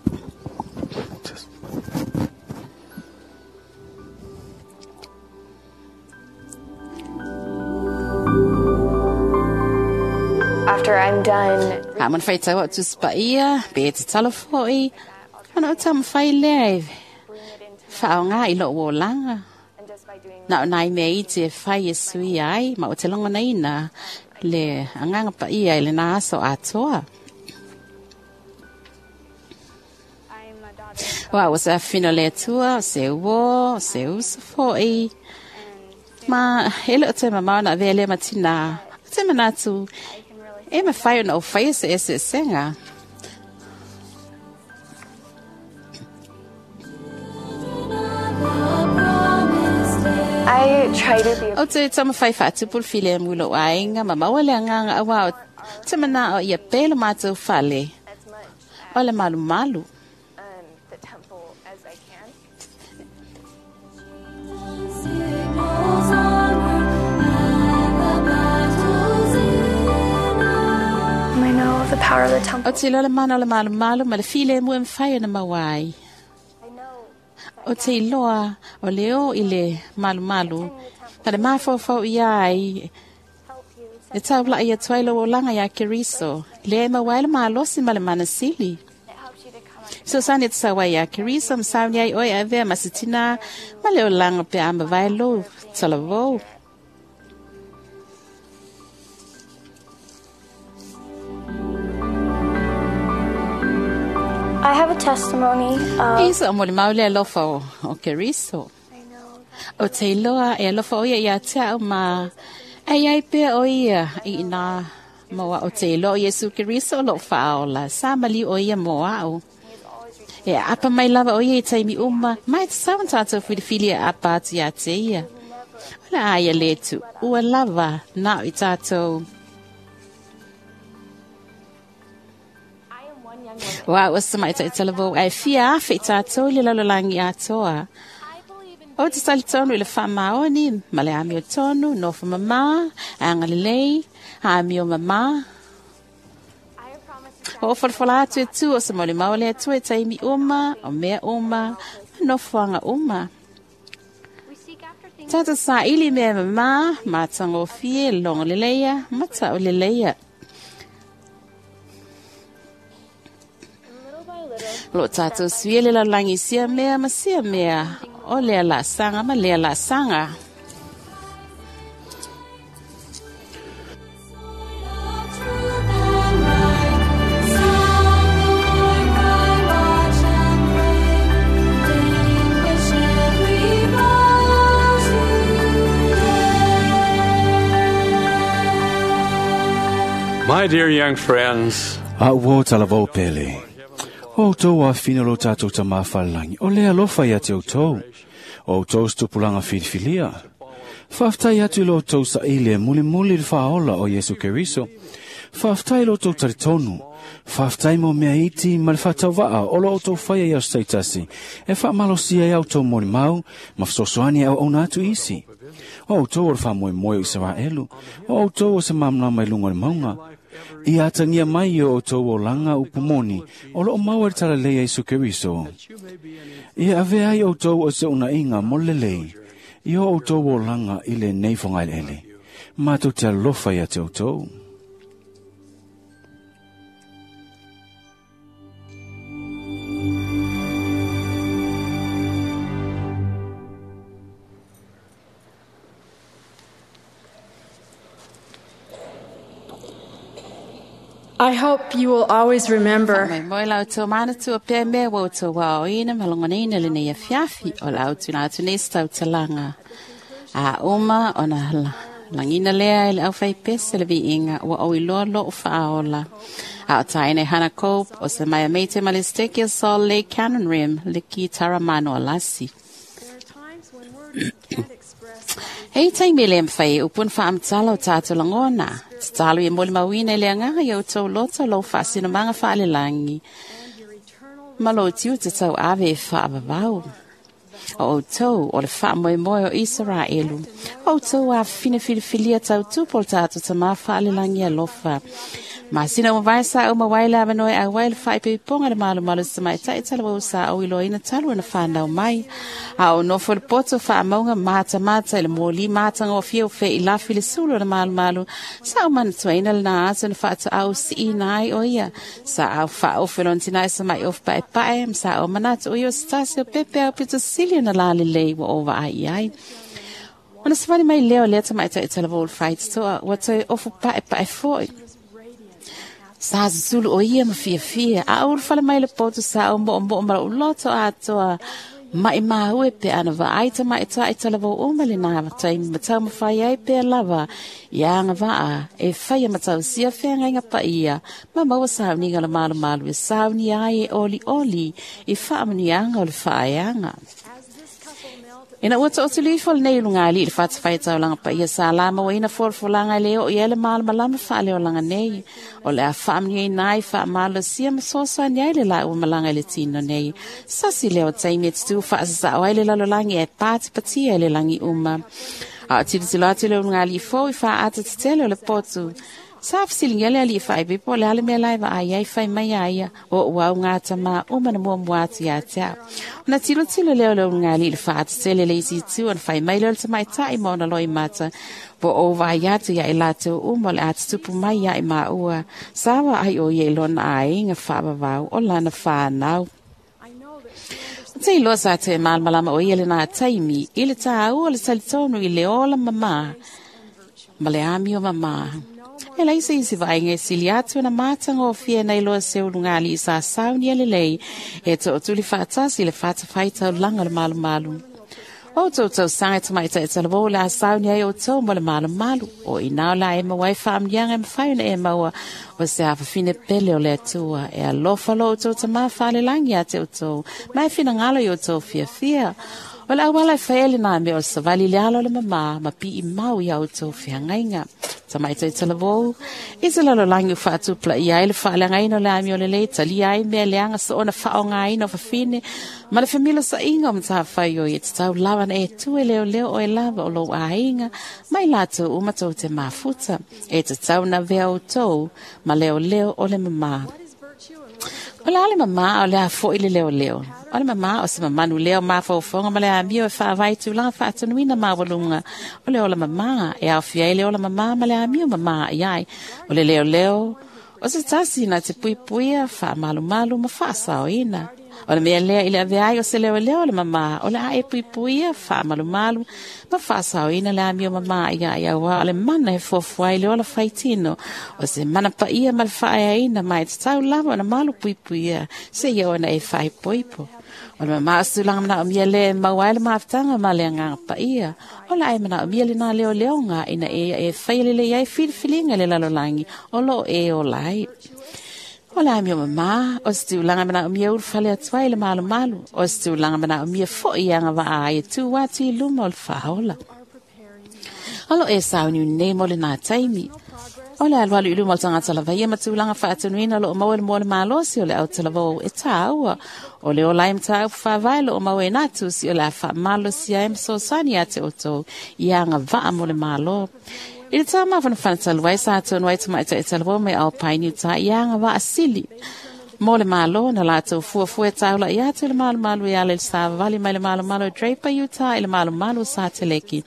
After I'm done. A mana whai tau atu spaia, pe te talo foi, ana o tamawhai lea e whaonga i lo olanga. Na o nai mea i te whai e sui ai, ma o te longo nei na le anganga pa ia i le nā aso atoa. Wa o sa fino le tua, o se uo, o se uso foi. Ma ele o te mamao na vea lea matina, o te manatu, e mawhai ona o whai se ese senga. I try to be O te tamawhai whaatupul file mulo ainga, ma maua le anganga awa o te mana o ia pelo mātou whale. O le malu malu. Um, the temple as I can. I know the power of the temple. O te lola mana o le malu malu, ma le file mua mwhai na mawai. O te iloa o leo i le malu malu, na le mawhawhau ia ai, e taula ia tuailo o langa ia Keriso, le mawai le malosi ma le manasili. So sani te sawa ia Keriso, msauni ai oi avea masitina, ma le o langa pe ama vailo, talavou. I have a testimony of Isa o moli maule alofa o, o Keriso. O te iloa e alofa o ia ia te au ma ai ai pea o ia i nā moa o te iloa o Yesu Keriso o lo whaola. Sa mali o ia moa au. E apa mai lava o ia i taimi uma, mai te sawan tātou whiriwhiri e apa atu ia te ia. Ola aia letu, ua lava nā i tātou. Wa o sa mai taitalavu ai fia afe i tātou i le lalolagi atoa. O te talitonu i le whaamaoni, ma le amio tonu, nofo mamā, angalelei, amio mamā. O whalawhala atu e tu o sa mauli maole atu e taimi uma, o mea uma, nofoanga uma. Tātou sa ili mea mamā, mātango fie, longo leleia, mata o leleia. Lo tātou suia le lalangi sia mea ma sia mea, o lea la sanga ma lea la sanga. My dear young friends, A ua talavou pele. O tau a fina lo tātou ta mawhalangi, o le alofa ia te o tau. O tau stupulanga filifilia. Whaftai atu lo tau sa ile muli muli le whaola o Yesu Keriso. Faafetai lo outou talitonu. Faafetai mo mea iti ma le faatauva'a o lo outou faia i aso taitasi e faamalosia ai a outou molimau ma fesoasoani e auauna atu isi. O outou o le faamoemoe o Isaraelu, o outou o se malamalama i luga o le mauga. Ia atagia mai i o outou olaga upu moni o loo maua i le talalelei a Iesu Keriso. Ia avea ai outou o se unaiga mo le lelei i o outou olaga i lenei fogaeleele. Matou te alofa ia te outou. I hope you will always remember Mai moi lau tau mana tua pē mea wau tau wao ina malongonina le nei afiafi o lau tuna atu nei stau talanga. A uma o na langina lea i le au whai pese le viinga ua o iloa lo o whaaola. A o taine Hana Cope o se mai meite ma le steki o Sol Lake Cannon Rim le ki taramano alasi. Hei taimi le mwhai upun whaamtala o tātou langona. Tatalo i moli mauina i le angaga i au tau loto lau whaasino manga whaale langi. Malo tiu te tau ave e whaavavau. O o tau o le whaamoe moe o Israelu. O tau a whina whilifilia tau tupol tātou ta mā whaale langi alofa. Ma sina o vai sa o mawai la vanoi a wai le whai pe ponga le malu malu sa mai tai tala wau sa o ilo ina talu na whanau mai. A o nofo le poto wha maunga mata mata i le mōli mata ngō whio whe i lafi le sulu na malu malu. Sa o mana tuaina le nā atu na whaata au si i nai o ia. Sa au wha o whilon tinai sa mai o whae pae. Sa o manatu o ia stasi o pepe au pito sili na lale lei wa o wa ai ai. Ona sawani mai leo lea ta mai tai tala wau whai toa wa toi ofu pae pae foi. Sa zulu o ia ma fia fia. A uru whale mai le poto sa o mo mo mara uloto atoa. Mai maue pe ana va aita mai ta i tala vo uma le nā tai matau mawhai ai pe lava. Ia anga vaa e whaia matau sia whenga inga pa ia. Ma maua sauniga la malu malu e sauni ai e oli oli i whaamani anga o le whaeanga. Ina ua to'o tuli ifo lenei ulugalii i le fatafaitaulaga paia sa lama ua ina folafolaga e le oo i ai le malamalama faaleolaga nei. O le a faamanuiaina ai faamalosia ma soasoani ai le laua malaga i le tino nei. Sasi lea o taimi e tutū faasasao ai le lalolagi ae patipatia i le lagi uma. A o tilotilo atu le ulugalii fou i faaata tetele o le potu. Sa fisilingia le alii faaipipo le ale mea lai vaai ai fai mai aia o ua au ngā tamā uma na muamua atu ia te au. Ona tilotilo leo le ulugalii i le faatetele le isi itu ona fai mai leo le tamaitai ma ona loi mata. Po o vai atu ia i lātou uma o le atutupu mai ia i maua. Sa wa ai o ia i lona aiga faavavau o lana whanau. Te iloa sa te malamalama o ia le nā taimi i le tāua o le talitonu i le ola mamā ma le amio mamā. E lai se isi vainga e sili atu na mātanga o fia nei loa se ulugalii sa sauni a lelei e to'otuli faatasi le fatafaitau laga le malumalu. O toutou saga tamaitai talavou le a sauni ai outou mo le malumalu. O inā o la e maua ai faamanuiaga e mafai ona e maua o se afafine pele o le Atua. E alofa lo outou tamā faalelagi ia te outou ma e finagalo i outou fiafia. O le auala e faia lenā mea o le savali le alo o le mamā ma pii mau ia outou feagaiga. Tamaitai talavou, i te lalolagi o faatupulaia ai le faaleagaina o le amio lelei, talia ai mea leaga soona faaaogāina o fafine, ma le femilosaʻiga o matafai o ia tatau lava na e tu e leoleo o e lava o lou aiga, mai latou uma tou te mafuta, e tatau na vea outou ma leoleo o le mamā. O le ale mamā o le a fo'i le leoleo. O le mamā o se mamanu leo mafaufonga ma le amio e whaavai tūlanga whaatanuina mawalunga. O le ola mamā e awhia i le ola mamā ma le amio mamā i ai. O le leo leo o se tasi na te puipuia whaamalumalu ma whaasaoina. O le mea lea i le ave ai o se leo leo le mamā. O le a e puipuia whaamalumalu ma whaasaoina le amio mamā i ai aua. O le mana e fuafuai le ola whaitino. O se mana paia ma le whaeaina mai te tau lava o na malu puipuia. Se ia ona e whaipoipo. O le mamā o se tulaga manaomia lea e maua ai le mafutaga ma le agaga paia. O le ai manaomia lenā leoleoga ina e e faia lelei ai filifiliga le lalolagi o loo e ola ai. O le amio mamā, o se tulaga manaomia ulufale atu ai le malumalu. O se tulaga manaomia fo'i agavaa ai e tu atu i luma o le faaola. O loo e sauniuni nei mo lenā taimi. O le alualu i luma o le tagata lava ia ma tulaga faatunuina o loo maua le moa le malosi o le autalavou e tāua. O le ola ai mataupu faavae o loo maua e nā tusi o le a faamalosia ai ma fesoasoani ia te outou i agavaa mo le Malo. I le tā mafanafana talu ai sa tonu ai tamaitai talavou mai Alpine Utah i agavaa sili mo le Malo na latou fuafua e taula'i atu i le malumalu e ala i le savavali mai le malumalu o Draper Utah i le malumalu o Sateleki.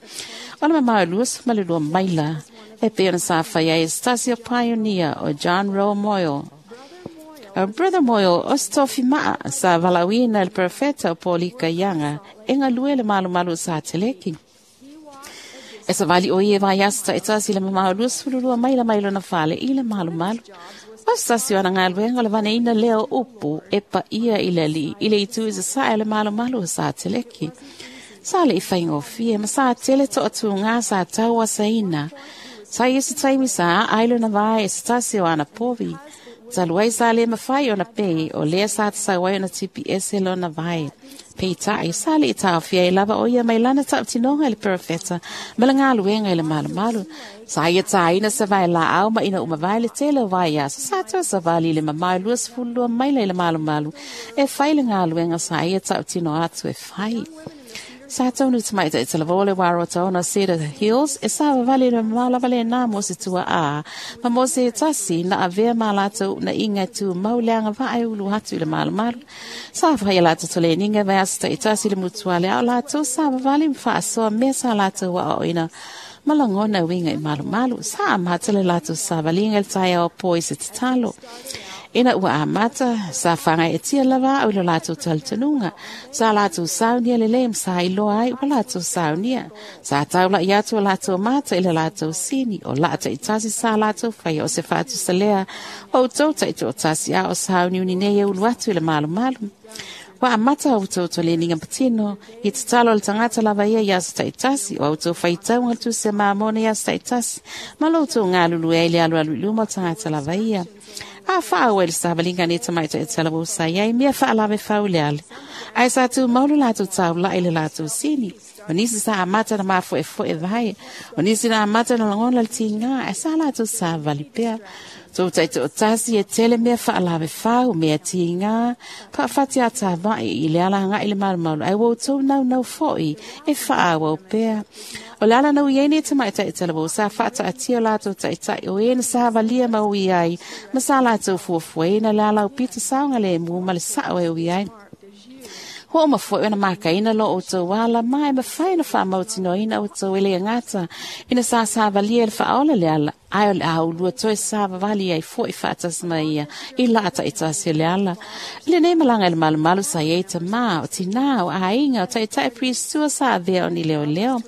O le mamao e luasefulu ma le lua maila e pei ona sa fai ai e se tasi o pioneer o John Rowe Moyle. O Brother Moyle o se tofi maa sa valaauina e le perofeta o Polika Ianga e galue le malumalu o Sateleki. E savali o ia e vaiaso ta'itasi i le mamao luasefulu lua maila mai lona fale i le malumalu. O se tasi o ana galuega o le vaneina lea o upu e paia i le alii i le itu i sasae o le malumalu o Sateleki. Sa le i faigofie ma sa tele to'atugā sa tau asaina. Sa ia se taimi sa aai lona vae e se tasi o ana povi. Talu ai sa le mafai ona pei o lea sa tasau ai ona tipi ese lona vae. Peitai sa le i taofia ai lava o ia mai lana tautinoga i le perofeta ma le galuega i le malumalu. Sa ia tāina se vae laau ma ina uma vae le tele o vaiaso sa toe savali i le mamao e luasefulu lua maila i le malumalu e fai le galuega sa ia tautino atu e fai. Sa taunu tamaitai talavou le wā rota ona Cedar Hills e savavali i le mamao lava lenā mo se tuaā ma mo se tasi na avea ma latou na inga tu mau le agavaa e ulu atu i le malumalu. Sa fai a latou toleniga vaiaso ta'itasi le mutuale a o latou savavali ma faasoa mea sa latou aoaoina ma lagona uiga i malumalu. Sa amata le latou savaliga i le taeao po i se tatalo. Ina ua amata, sa fagaetia lava au i lo latou talitonuga. Sa latou saunia lelei ma sa iloa ai ua latou saunia. Sa taula'i atu o latou mata i le latou sini, o laa ta'itasi sa latou faia o se faatusa lea o outou ta'itoatasi a o sauniuni nei e ulu atu i le malumalu. Ua amata outou toleniga patino i tatalo o le tagata lava ia i aso ta'itasi, o outou faitauga le tusi a Mamona i aso ta'itasi, ma lo outou galulue ai le alualu i luma o le tagata lava ia. A faaua i le savaliga nei tamaitai talavou sa iai mea faalave fauleale. Ae sa tumau le latou taula'i i le latou sini. O nisi sa amata na mafoefoe vae. O nisi na amata na lagona le tigā, ae sa latou savali pea. Tou ta'itoatasi e tele mea faalave fau, mea tigā, faafati atava'i i le ala aga'i le malumalu, ae ua outou naunau fo'i e faaauau pea. O le ala na ui ai nei tamaitai talavou sa faataatia o latou ta'ita'i o e na savalia ma ui ai, ma sa latou fuafuaina le ala aupito saogalemu ma le sa'o e ui ai. Ho'oma fo'i ona makaina lo outou ala ma e mafai ona faamautinoina outou e le agata ina sa savalia i le faaola le ala, ae o le a ulua toe savavali ai fo'i faatasi mai ia i laa ta'itasi o le ala. I lenei malaga i le malumalu sa iai tamā, o tinā, o aiga, o ta'ita'i pristua sa avea o ni leoleo.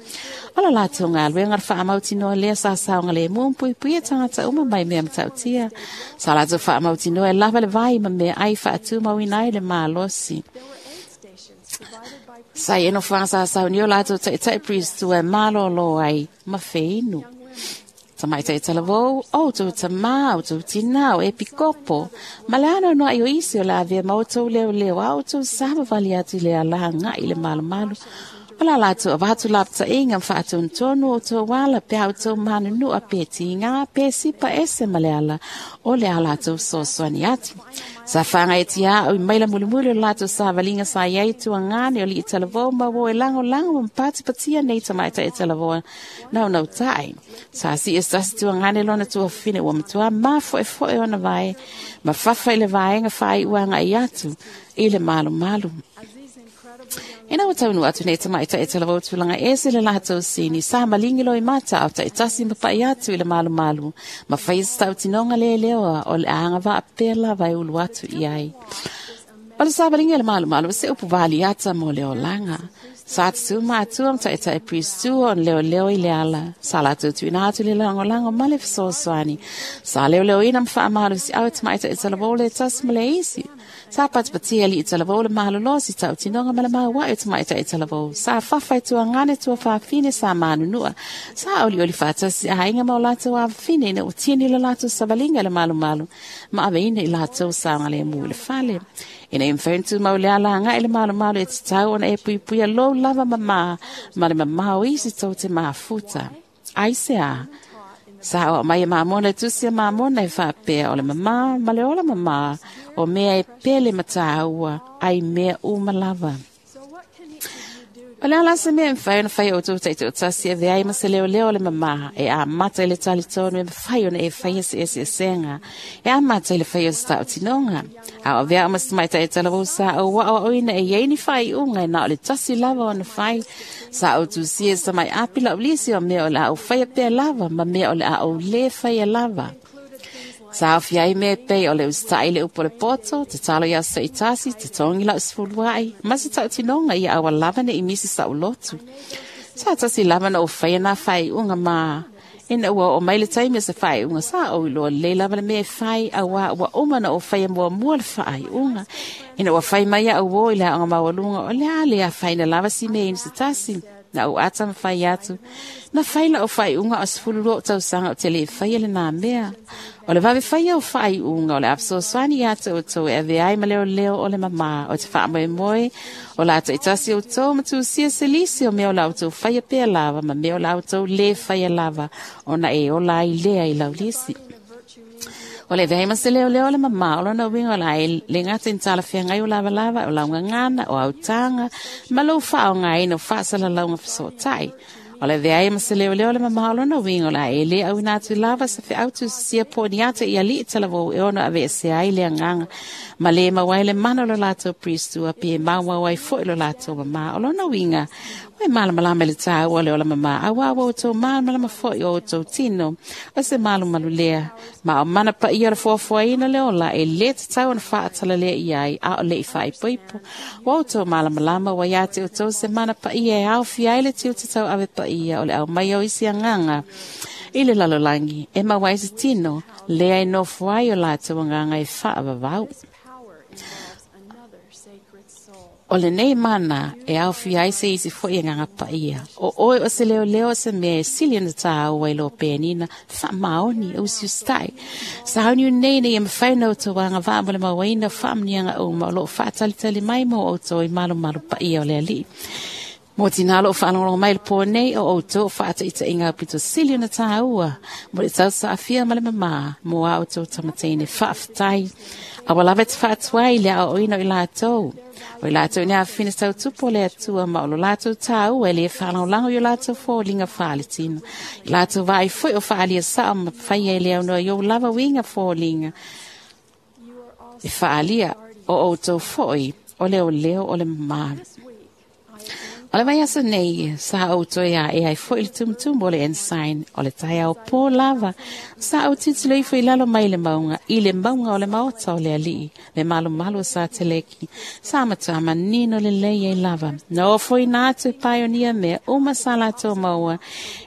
O le latou galuega le faamautinoa lea sa saogalemu ma puipuia tagata uma mai mea matautia. Sa latou faamautinoa e lava le vai ma meaai faatumauina ai le malosi. Sa ia nofoaga sa saunia o latou ta'ita'i pristua e malōlō ai ma feinu. Tamaitai talavou, o outou tamā, outou tinā, o epikopo, ma le anoanoa'i o isi o le avea ma outou leoleo a outou savavali atu i le ala aga'i i le malumalu. O la latou avatu lapata'iga ma faatonutonu o outou ala pe a outou manunua pe tigā pe sipa ese ma le ala o le a latou fesoasoani atu. Sa fagaetia a'u i maila mulimuli o le latou savaliga sa iai tuagane o li'i talavou ma ua e lagolago ma patipatia nei tamaitai talavoa naunauta'i. Sa si'i se tasi tuagane lona tuafafine ua matuā mafo'efo'e ona vae ma fafa i le vaega faai'u aga'i atu i le malumalu. Ina ua taunuu atu nei tamaitai talavou tulaga ese le latou sini, sa maligi loa i mata ao ta'itasi ma pa'i atu i le malumalu, ma faia se tautinoga leleoa o le agavaa pea lava e ulu atu i ai. O le savaliga i le malumalu o se upu valiata mo le olaga. Sa tutū matua ma ta'ita'i pristua ona leoleo i le ala. Sa latou tuuina atu le lagolago ma le fesoasoani. Sa leoleoina ma faamalosi'au e tamaitai talavou le tasi ma le isi. Sa patipatia li'i talavou le malolo si tautinoga ma le maua'i o tamaitai talavou. Sa fafa i tuagane tuafafine sa manunua. Sa olioli faatasi aiga ma o latou avafine ina ua tini le latou savaliga i le malumalu ma aveina i latou saogalemu i le fale. Ina ia mafai ona tumau le ala aga'i i le malumalu e tatau ona e puipuia lou lava mamā ma le mamao o isi tou te mafuta. Aisea? Sa o mai mamona tusi mamona e faapea o le mamā ma le ola mamā o mea e pele mataua ai mea uma lava. O le ala se mea mawhai ona whai o tō taito tasi e veai ma se leo leo le mamā e a mata i le talitonu e mawhai ona e whai ese ese esenga e a mata i le whai o sa o tinonga. A o vea o mas mai tai tala sa o wa o ina e yeini whai unga e na o le tasi lava ona whai sa o tu sie sa mai api la ulisi o mea o la o whai a pea lava ma mea o le a o le whai a lava. Sa o fiai me pei o le ustai le upo le poto, te talo ia sa itasi, te tongi la usfuluai, ma se tau tinonga ia awa lava ne imisi sa ulotu. Sa tasi lava na o whai na whai unga ma, ina ua o mai le taimi se whai unga sa o iloa le lava le mea whai awa ua uma na o whai mua mua le whai unga. Ina ua whai mai au o i le anga mawalunga o le ale a whai na lava si me ina se tasi. Na o ata ma whai atu. Na whai la o whai unga o sefulu o tausanga o te le whai ele nā mea. O le wawe whai o whai unga o le apsoswani atu o tau e ave ai ma leo leo o le mamā o te wha moe moe o la ata itasi o tau matu sia selisi o mea o la o tau whai a pea lava ma mea o la o tau le whai a lava o na e o la i lea i laulisi. O le veai ma se leo leo le mamā o lona winga o la e le ngata in tala whiangai o lava lava o launga ngana o autanga ma lou wha o ngā ina o whaasala launga whasotai. O le veai ma se leo leo le mamā o lona winga o la e le au ina atu lava sa fe autu sia po ni ata i ali tala vau e ono ave se ai le anganga ma le mawai le mana lo lato priestua pe maua wai fo lo lato mamā o lona winga o e malamalama le tāua le ola mamā awa awa o tō malamalama fo i o tō tino o se malumalu lea ma o mana pa ia le fuafuaina le ola e le te tau ona whaatala lea i ai a o le i whaipoipo o tō malamalama wa ia te o tō se mana pa ia e au fiai le tiu te tau ave pa ia o le au mai o isi anganga i le lalolangi e mawai se tino lea e nofo ai o lātou anganga e whaavavau. O le nei mana e au fiai se isi fo i nganga paia. O oe o se leo leo se mea e sili na tāua i lo pēnina wha maoni o si ustai. Sa hauni nei nei e mwhaina o tō wanga wā mo le mawaina whaamnianga o ma o lo whaatalitali mai mo o tō i malu malu paia o le ali. Mō tīnā lo whaalongolongo mai le pō nei o o tō whaata ita inga pito sili na tāua. Mo le tau saafia ma le mamā mō a o tō tamateine whaaftai. Awa lava te whaatuai le ao oina o i lātou. O i lātou ni a whina tau tupo le atua ma o lo lātou tāua e le whaalongolongo i o lātou fōlinga whaaletina. I lātou vai fui o whaalia saa ma whaia i le au noa i o lava winga fōlinga. E whaalia o o tō foi o leo leo o le mamā. O le vai asa nei, sa au toi a e ai foi le tumutumu o le ensign, o le tai au pō lava, sa au titilo ifo i lalo mai le maunga, i le maunga o le maota o le alii, le malu malu o sa teleki, sa matua manino le lei e lava. Na o foi nā atu e paionia mea, uma sa lātou maua,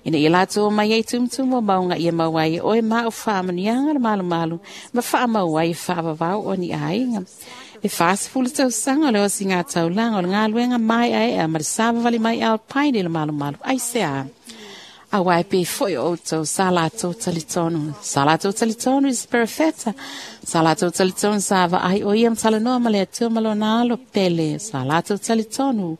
ina i lātou mai ei tumutumu o maunga ia maua ai, oe ma o whaamanianga le malu malu, ma whaamaua i whaavavau o ni ainga. E whaasifulu tau sanga o le osi ngā taulanga o le ngā luenga mai ae a ma le sāwawali mai ao paine le malu malu. Ai se a. A wai pe foi o tau sa lātou talitonu. Sa lātou talitonu i se perefeta. Sa lātou talitonu sa va ai o ia mtalanoa ma le atua malona alo pele. Sa lātou talitonu.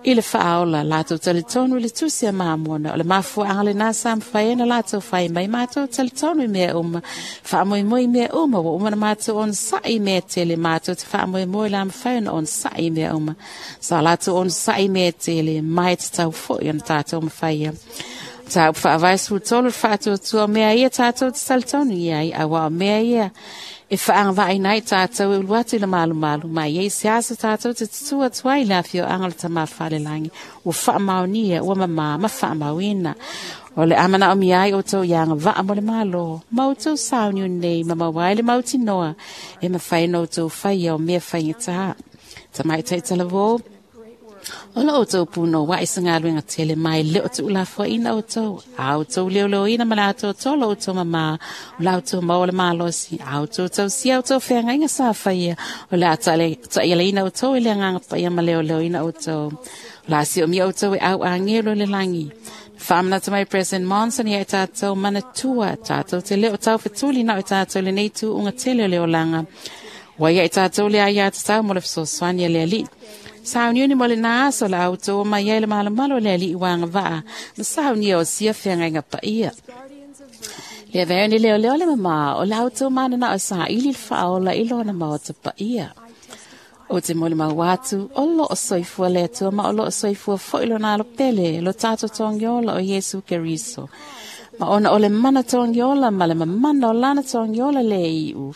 I le whaaola, lātou talitonu i le tusi a maamona, o le mafua angale nā sa mwhaena lātou whai mai mātou talitonu i mea uma, whaamoemoi mea uma, wa uma na mātou on sa'i mea tele, mātou te whaamoemoi la mwhaena on sa'i mea uma, sa lātou on sa'i mea tele, mai te tau foi ona tātou mwhaia. Tā whaavaisu tolu whaatuatua mea ia tātou te talitonu i ai, awa o mea ia, e whaanga vai nei tātou e uluatu i le malu malu, mai ei se asa tātou te tutua tuai le awhio anga le tamā whalelangi, ua whaamaunia, ua mamā, ma whaamauina. O le amana o miai o tau ianga waa mo le malo, mau tau sauniu nei, ma mawai le mauti noa, e mawhai no tau whai o mea whai ngā Tamai taitala o lo tau puno wa isa ngā luenga tele mai le o tu ula fo ina o tau. Au tau leo leo ina ma la tau tolo o tau mama. O la o tau maua le malosi. Au tau tau sia o tau whenga inga sa whaia. O la ta ia le ina o tau i le nganga paia ma leo leo ina o tau. O la si o mia o tau e au angelo le langi. Whaamana mai President Monson ia e tātou manatua. Tātou te leo tau whetuli na o tātou le nei tu unga tele o leo langa. Waia e tātou le aia te tau mo le whasoswani le ali. Sauniuni mo le nā aso la au tō mai ai le malamalo le ali i wanga waa. Ma saunia o sia whianga inga paia. Le avea ni leo leo le mama o le autou manana o sa ili whaola i lona maota pa ia. O te mole mau atu, o lo o soifua le atua ma o lo o soifua foi lo nalo pele, lo tato tongiola o Yesu Keriso. Ma ona o le mana tongiola ma le mamana o lana tongiola le iu.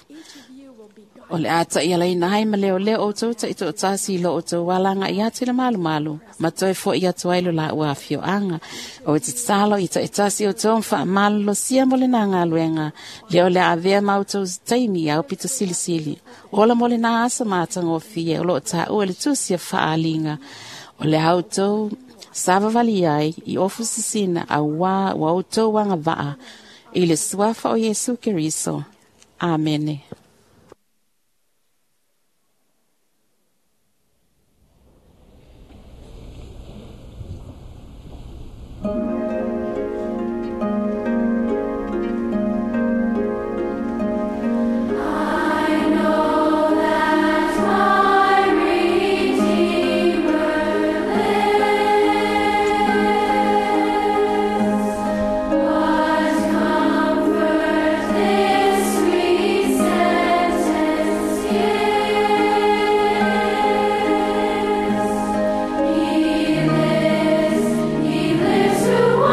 O le ata ia lai nai ma leo leo o tau ta i tō tasi lo o tau walanga i atu le malu malu. Ma toi fo i atu ai lo la ua whio anga. O te talo i ta i tasi o tau mfa malu lo sia mo le nā ngā luenga. Leo le avea mau tau taimi au pito sili sili. Ola mo le nā asa mātanga o fie o lo ta ua le tusia whaalinga. O le au tau savavali ai i ofu sisina a wā wa o tau wanga vaa. I le suafa o Yesu Keriso. Amene. He lives who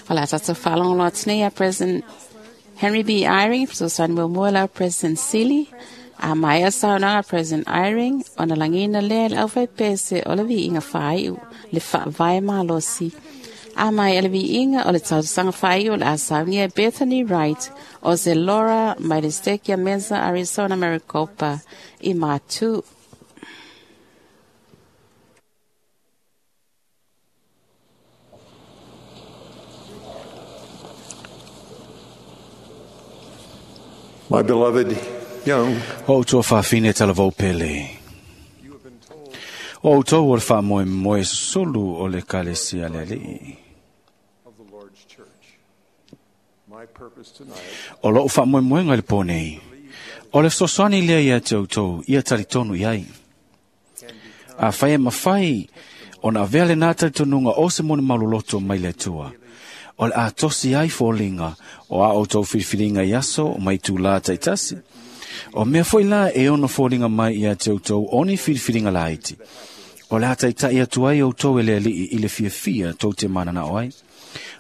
O le a tatou faalogologo atu nei a President Henry B. Eyring, fesoasoani muamua la President Sili, a maea saunoaga President Eyring, ona lagiina lea i le aufaipese o le viiga faaiu, le faavae malosi. A mai le viiga o le tausaga faaiu o le a saunia Bethany Wright o se Laura mai le Stake Mesa, Arizona, Maricopa, i Matu. My beloved young, O outou faafine talavou pele. O outou o le faamoemoe sulu o le kalesia le alii. of the Lord's church. My purpose tonight O lou faamoemoega i le pō nei. O le fesoasoani lea ia te outou, ia talitonu i ai. A fai e mawhai, ona avea le nā talitonuga o se moni maloloto mai le Atua. O le a tosi ai fōlinga o a outou filifiliga i aso mai tūlā taitasi. O mea foi la e ono fōlinga mai ia te outou o ni filifiliga laiti. O le a taitai atu ai outou e le alii i le fiafia tou te manana o ai.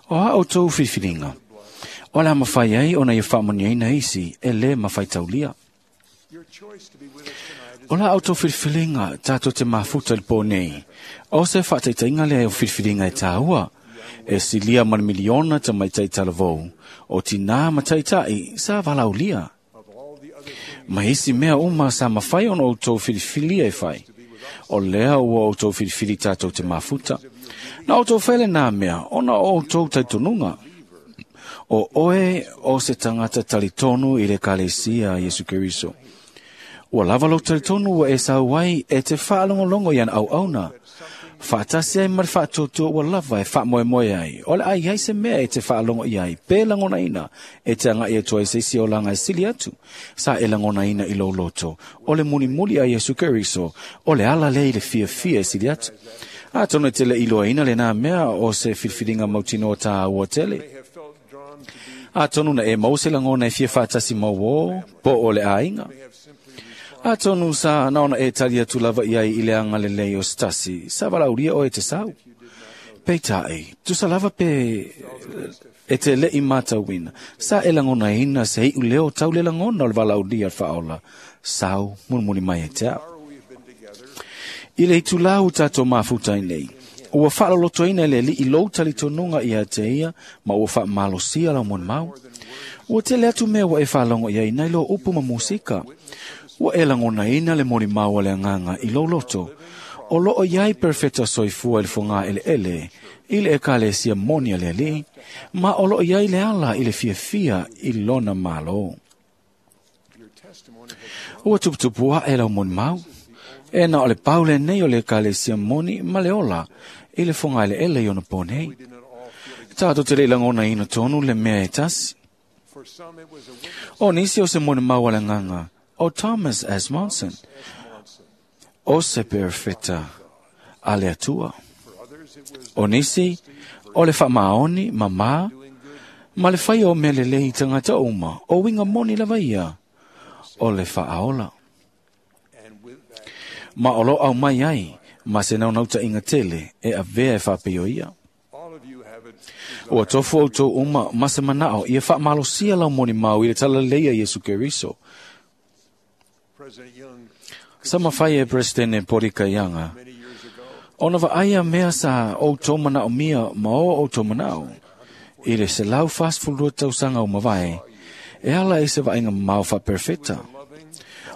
O a outou filifiliga. O le a mawhai ai ona ia faamoniaina isi e le mawhai taulia. Your choice to be with us tonight is O la outou filifiliga tātou te mafuta i le pō nei. O se faataitaiga lea o filifiliga e tāua. E silia ma le miliona ta maitai talavou. O tinā ma taitai sa valaulia. of all the other things Ma isi mea uma sa mawhai ona outou filifilia e whai. O lea ua outou filifili tātou te mafuta. Na outou whaile nā mea, ona o outou taitonuga. O oe o se tangata talitonu i le kalesia Yesu Keriso. Ua lava lou talitonu ua e sau ai e te whaalongolongo i ana au auna. Whaatasi ai ma le whaatotua ua lava e whaamoemoe ai. O le ai ai se mea e te whaalongo i ai. Pe langona ina e te anga i atua i se isi o langa e sili atu. Sa e langona ina i lou loto. O le mulimuli a Yesu Keriso. O le ala le i le fia fia e sili atu. A tono e te le iloa ina le nā mea o se filifiliga mautino o tā ua tele. may have felt drawn to be A tonu na e mau se langona e fia whaatasi mau o, po o le āinga. may have simply responded A tonu sa naona e tali atu lava i ai i le anga lelei o stasi, sa valauria o e te sau. Peitai, tusa lava pe e te le i mātauina. Sa e langona ina se i leo tau le langona o le valauria whaola. Sau munimuni mai e te au. hour we have been together I le itulau tātou mafuta i nei. Ua whaalolotoina e le li i lou talitonuga ia te ia, ma ua whaamalosia lau mon mau. Ua tele atu mea ua e whaalongo ia i nei lo upu ma musika. Ua e langona ina le moni mau a le anganga i lou loto. O loo iai perfecta soifua i le fonga ele ele, i le ekalesia moni a le alii, ma o loo iai le ala i le fiafia i lona malo. your testimony has Ua tuputupu a e lau moni mau. E na o le paule nei o le ekalesia moni ma le ola, i le fonga ele ele i ona pō nei. we did not all feel Tātou te le langona ina tonu le mea e tasi. for some it was a witness O nisi o se moni mau a le nganga, o Thomas S. Monson, Monson. o se perfecta a le atua. For others it was O nisi, o le whaamaoni, mamā, doing good ma le whai o mea lelei tangata uma, o winga moni lava ia, o le whaaola. and with that Ma o lo au mai ai, ma se naunauta inga tele, e avea e whapeo ia. all of you have a Ua tofu au tō uma, ma se manao, ia whaamalosia lau moni mau i le talaleia Yesu Keriso. President Young Sa mawhai e Presidente Porika Ianga, many years ago Ona wa aia mea sa o tō manao mia ma o o tō manao. I le se lau fast fulua tausanga o mavae, e ala e se vainga mau fa perfecta. loving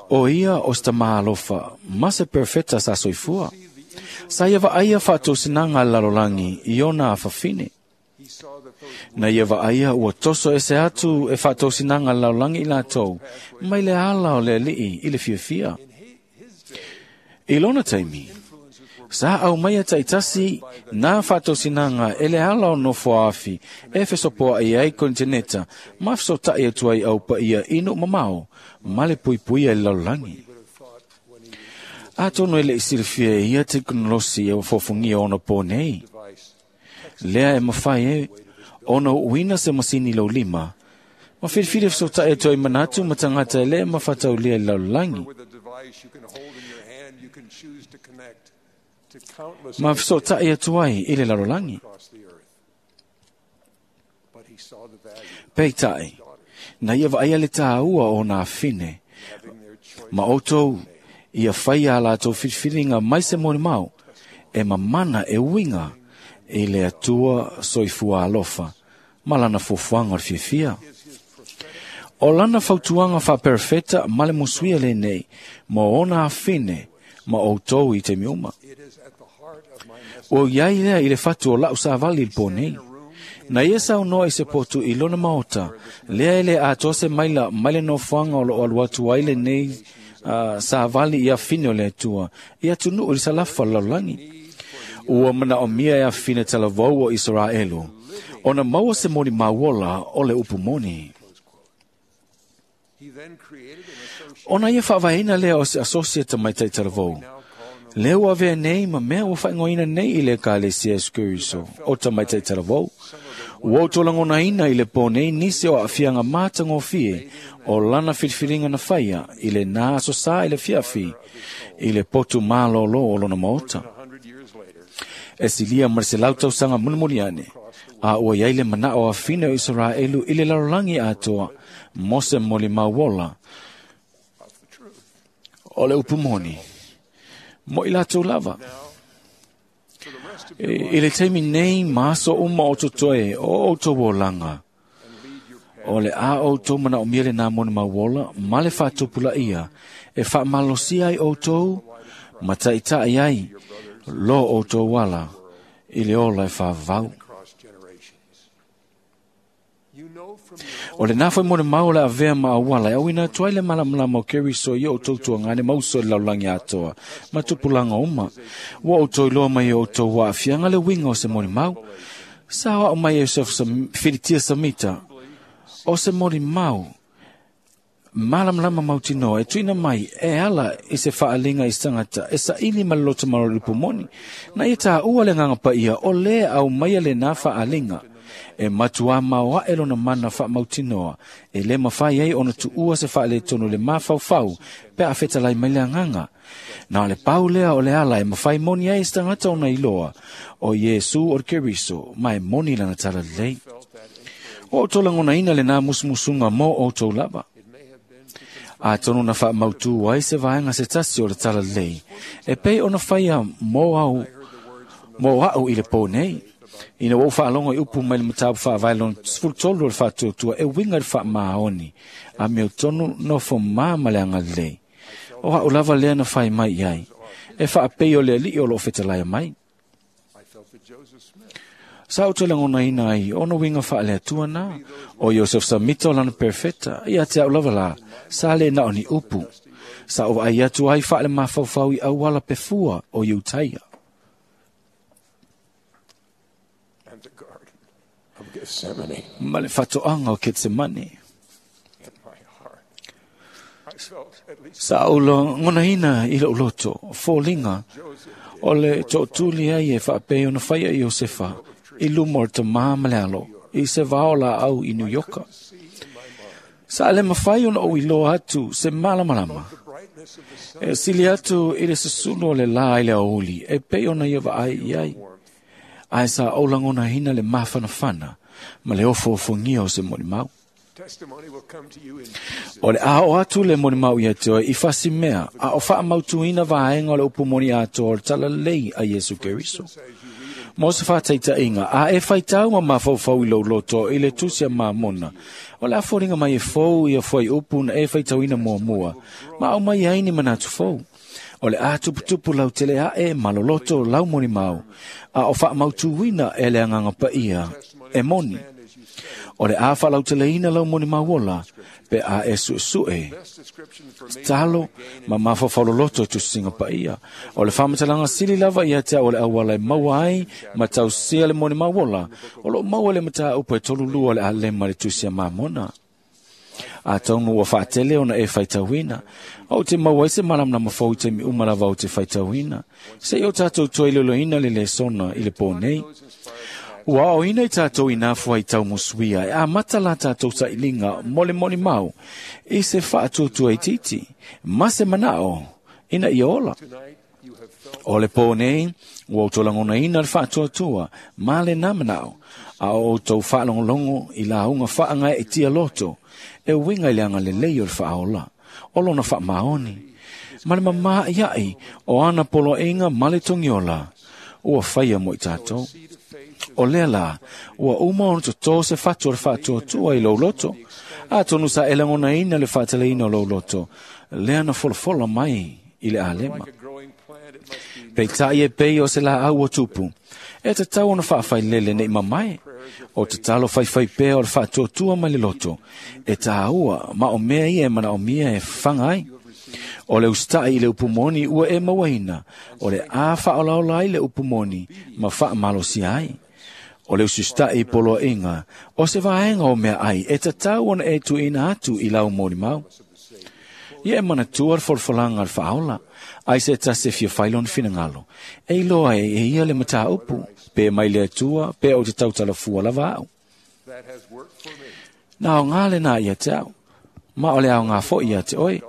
O ia o sta maalofa, ma se perfecta sa soifua. Sa ia wa aia whaatausinanga lalolangi i ona awhawhine. he saw that those Na ia wa aia ua toso e se atu e whaatausinanga lalolangi i lātou, mai le ala o le alii i le fiafia. in hi- his day I lona taimi, influences were Sa au mai a taitasi nā whaatausinanga e le ala o nofo afi e fesopoa i ai kontineta ma fesotai atu ai au pa ia inu mamao ma le puipuia i le lalolagi. would have thought when he was A tono e le isilifia e ia teknolosi e wafofungia ona pō nei. device Lea e mawhai e ona uina se masini lau lima. Ma whiriwhiri fesotai atu ai manatu ma tangata e le mawhataulia i lalolagi. with a device you can hold in your hand you can choose to connect to countless Ma fesotai atu ai i le lalolagi. across the earth Peitai, na ia vaai le tāua o nā fine, ma outou ia whai a lātou whiriwhiringa mai se moni mau, e mamana e winga i le atua soifua alofa, ma lana fuafuaga o le fiafia. O lana fautuaga faaperefeta ma le musuia lenei mo ona afine ma outou i taimi uma. Ua iai lea i le fatu o lau savali i le pō nei. Na ia saunoa i se potu i lona maota, lea e le atoa se maila mai le nofoaga o loo alu atu ai lenei uh, savali i afine o le Atua, i atunuu i le salafa o le lalolagi. Ua manaomia e afine talavou o Isaraelu, ona maua se moni mauola o le upu moni. Ona ia faavaeina lea o se asosi e tamaitai talavou. Lea ua avea nei ma mea ua faaigoaina nei i le Ekalesia Iesu Keriso o tamaitai talavou. Ua outou lagonaina i le pō nei nisi o aafiaga matagofie o lana filifiliga na faia i lenā aso sa i le fiafi i le potu malōlō o lona maota. E silia ma le selau tausaga mulimuli ane, a ua iai le manao afine o Isaraelu i le lalolagi atoa mo se molimauola o le upu moni mo i latou lava. I, i le taimi nei ma aso uma o totoe o outou olaga, o le a outou manaomia lenā molimauola ma le faatupulaia e faamalosia ai outou ma taʻitaʻi ai lo outou ala i le ola e faavavau. O le nā foi molimau o le avea ma auala e auina atu ai le malamalama o Keriso i outou tuagane ma uso i le lalolagi atoa ma tupulaga uma. Ua outou iloa mai e outou aafiaga le uiga o se molimau. Sa oao mai e Yosef Filitia Samita o se molimau malamalama mautinoa e tuuina mai e ala i se faaliga i se tagata e saili ma le loto malolo moni. Na ia tāua le agaga paia o lē aumaia lenā faaliga e matuā maoaʻe lona mana faamautinoa e lē mafai ai ona tuua se faaletonu le mafaufau pe a fetalai mai le agaga. Na o le pau lea o le ala e mafai moni ai se tagata ona iloa o Iesu o le Keriso ma e moni lana talalelei. O outou lagonaina lenā musumusuga mo outou lava. Atonu na faamautū ai se vaega se tasi o le talalelei e pei ona faia mo au mo a'u i le pō nei. Ina ua ou faalogo i upu mai le mataupu faavae lona sefulutolu o le faatuatua e uiga i le faamaoni a mea tonu nofo mā ma le agalelei. O a'u lava lea na fai mai i ai e faapei o le aliʻi o loo fetalaia mai. Sa ou toe lagonaina ai ona uiga faaleatua na o Iosef Samita o lana perfeta ia te a'u lava lā sa lē na o ni upu. Sa ou vaai atu ai faalemafaufau i auala pefua o Iutaia ma le fatoaga o Ketsemane. Sa ou lagonaina i lou loto foliga o le tootuli ai e faapei ona faia i Iosefa i luma o le tamā ma le alo i se vao laau i New Yorka. Sa le mafai ona ou iloa atu se malamalama e sili atu i le susulu o le lā i le aouli e pei ona ia vaai i ai. Ae sa ou lagonaina le mafanafana ma le ofoofogia o se molimau. O le a o atu le molimau ia te oe i fasimea a o faamautuina vaega o le upu moni atoa o le talalelei a Iesu Keriso. Mo se faataitaiga a e faitau ma mafaufau i lou loto i le tusi a Mamona, o le a foliga mai e fou ia fuaiupu na e faitauina muamua ma aumai ai ni manatu fou. O le a tuputupu lau tele aʻe ma loloto lau molimau a o faamautuina e le agaga paia e moni. O le a faalauteleina lau molimauola pe a e suesue talo ma mafaufau loloto e tusiga paia. O le faamatalaga sili lava ia te au o le auala e maua ai ma tausia le molimauola o loo maua le mataupu e tolulua o le alema le tusi a Mamona. Atonu ua faatele ona e faitauina ou te maua ai se malamalama fou i taimi uma lava ou te faitauina seia o tatou toe iloiloina le lesona i le pō nei. Ua aoina i tatou i nā fuaitau musuia e amata la tatou sailiga mo le molimau i se faatuatua itiiti ma se manao ina ia ola. O le pō nei, Ua outou lagonaina le faatuatua ma lenā manao, a o outou faalogologo i lauga faagaeetia loto, e uiga i le agalelei o le faaola, o lona faamaoni, ma le mamāiai o ana poloaiga ma le togiola, ua faia mo i tatou. O lea la, ua uma ona totō se fatu o le faatuatua i lou loto, atonu sa e lagonaina le faatalaina o lou loto, lea na folafola mai i le alema. Peitai e pei o se laau o tupu, e tatau ona faafailele nei mamae, o tatalo faifai pea o le faatuatua mai le loto, e tāua ma o mea ia e manaomia e fafaga ai. O le usita'i i le upu moni ua e mauaina, o le a faaolaola ai le upu moni ma faamalosia ai. O le usita'i i poloaiga, o se vaega o mea ai e tatau ona e tuuina atu i lau molimau. Ia e manatua le folafolaga a le faaola, ai se tasi e fia fai lona finagalo, e iloa ai e ia le mataupu, pe mai le Atua, pe ou te tautalafua lava au. Na aoga lenā ia te au, ma o le aoga foi ia te oe.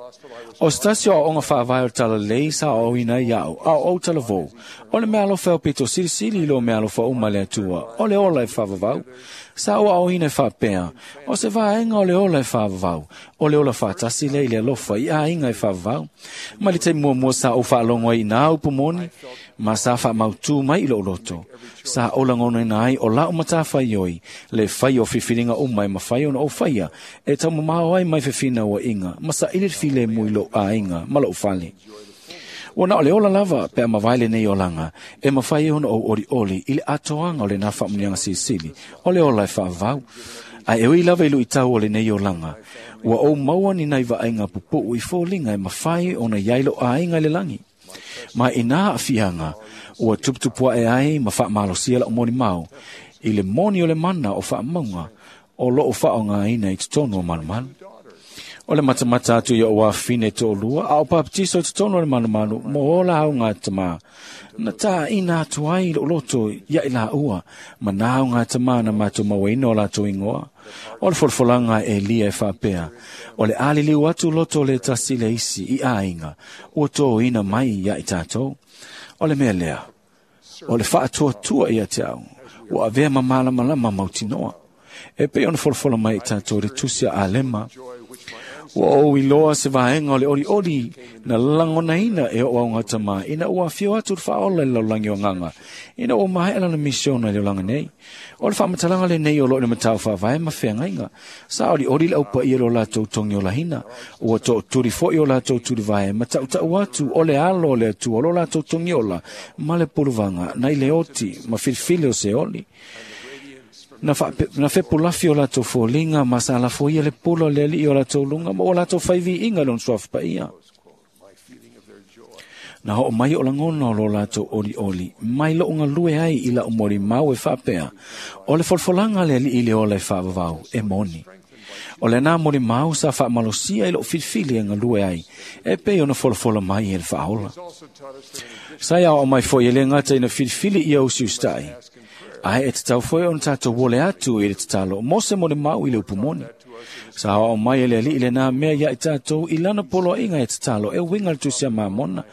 O se tasi o aoaoga faavae o le talalelei sa aoaoina ai au, a o ou talavou, o le meaalofa e aupito silisili i lo meaalofa uma le Atua, o le ola e faavavau. Sa ou aoaoina e faapea, o se vaega o le ola e faavavau, o le ola faatasi lea i le alofa i aiga e faavavau. Mai le taimi muamua sa ou faalogo ai i nā upu moni, ma sa faamautū mai i lou loto. Sa ou lagonaina ai o lau matafaioi, le fai o filifiliga uma e mafai ona ou faia, e taumamao ai mai fefinauaiga, ma saili le filemu i lou aiga ma lou fale. Ua na o le ola lava pe a mavae lenei olaga, e mafai ai ona ou olioli i le atoaga o lenā faamuniaga silisili, o le ola e faavavau. Ae e ui lava i luitau o lenei olaga, ua ou maua ni nai vaaiga pupuu i foliga e mafai ona iai lou aiga i le lagi. Ma i nā aafiaga, ua tuputupuae ai ma faamalosia lau molimau, i le moni o le mana o faamauga o loo faaaogaina i totonu o malumalu. O le matamata atu i ou afafine toalua, a o papatiso i totonu o le malumalu mo o lauga tamā, na tāina atu ai i lou loto ia i laua, ma nā auga tamā na matou mauaina o latou igoa. O le folafolaga a Elia e faapea, o le aliliu atu loto o le tasi le isi i aiga, ua tōina mai ia i tatou. O le mea lea, o le faatuatua ia te au, ua avea ma malamalama mautinoa. E pei ona folafola mai i tatou le tusi a Alema, ua ou iloa se vaega o le olioli na lagonaina e o auga tamā ina ua afio atu le faaola i le lalolagi o agaga, ina ua maea lana misiona i le olaga nei. O le faamatalaga lenei o loo i le matau faavae ma feagaiga. Sa olioli le aupaia i lo latou togiolahina, ua tootuli foi o latou tulivae ma tautau atu o le alo o le Atua o lo latou togiola ma le puluvaga nai le oti ma filifili o se oli. Na, faape, na fepulafi o latou foliga ma sa lafoia le pula o le alii o latou luga ma ua latou faiviiga i lona suafa paia. Na oo mai o lagona o lo latou olioli, mai lou galue ai i lau molimau e faapea, o le folafolaga a le alii i le ola e faavavau, e moni. O lenā molimau sa faamalosia i lou filifili e galue ai, e pei ona folafola mai e le faaola. Sa ia oo mai foi e le gata ina filifili ia usiusitai, ae e tatau foi ona tatou ole atu i le tatalo mo se molimau i le upu moni. Sa aoao mai e le alii lenā mea ia i tatou i lana poloaiga e tatalo e uiga le tusi a Mamona,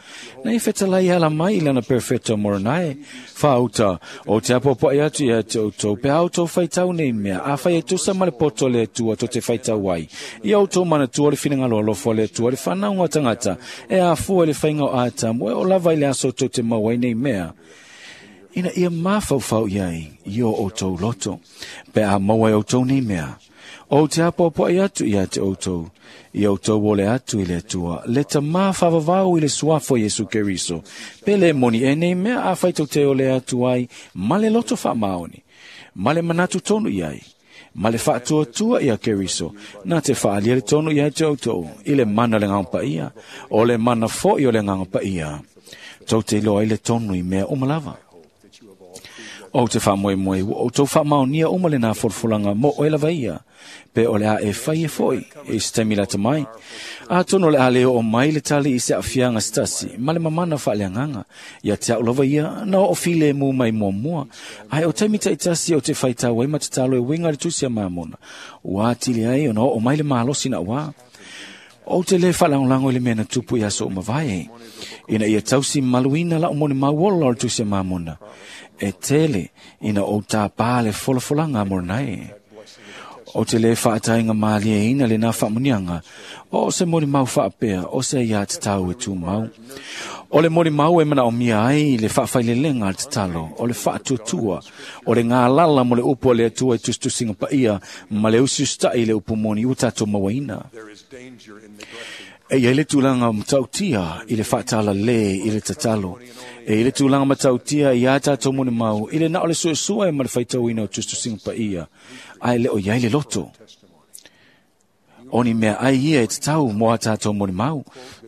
na ia fetalai ala mai i lana perfeto Moronae. Faauta, o te apoapoai atu ia te outou, pe a outou faitau nei mea, afai e tusa ma le poto o le Atua to te faitau ai. Ia outou manatua le finagalo alofa o le Atua, le fanauga o tagata, e afua i le faiga o Atamu, e oo lava i le aso tou te maua ai nei mea, ina ia mafaufau i ai i o outou loto, pe a maua e outou nei mea. O te apoapoai atu ia te outou, ia outou ole atu i le Atua, le tamā faavavau i le suafa o Iesu Keriso, pe le moni e nei mea afai tou te ole atu ai ma le loto faamaoni, ma le manatu tonu i ai, ma le faatuatua ia Keriso, na te faalia le tonu ia te outou, i le mana o le Agaga Paia, o le mana foi o le Agaga Paia, tou te iloa ai le tonu i mea uma lava. O te faamoemoe, ua outou faamaonia uma lenā folafolaga mo oe lava ia, pe o le a e fai e foi i se taimi lata mai. Atonu o le a le oo mai le tali i se aafiaga se tasi, ma le mamana faaleagaga, ia te au lava ia na oo filemu mai muamua, ae o taimi taitasi o te faitau ai ma tatalo e uiga i le tusi a Mamona, ua atili ai ona oo mai le malosi na uā. O te le whaalangolango i le mea na tupu i aso o mavae. Ina ia tausi maluina la o moni mauola o le tusi a mamona. E tele ina o tā pā le folafolanga moranai. O te le whaatainga mālia ina le nā whaamunianga. O se moni mau whaapea, o se ia te tau e tū mau. O le moni mau e mana o mia ai le whaawhailelenga al te talo, o le whaatuatua, o le ngā lala mo le upu o le atua e tustusinga paia, ma le usiustai le upu moni ua tātou mawaina. E ia le tūlanga matautia i le whaatala le i le tatalo. E i le tūlanga matautia i a tātou moni mau, i le na o le suesua e ma le whaitauina o tustusinga paia, ai le o iai le loto. O ni mea ai ia e te tau mo a tātou moni mau.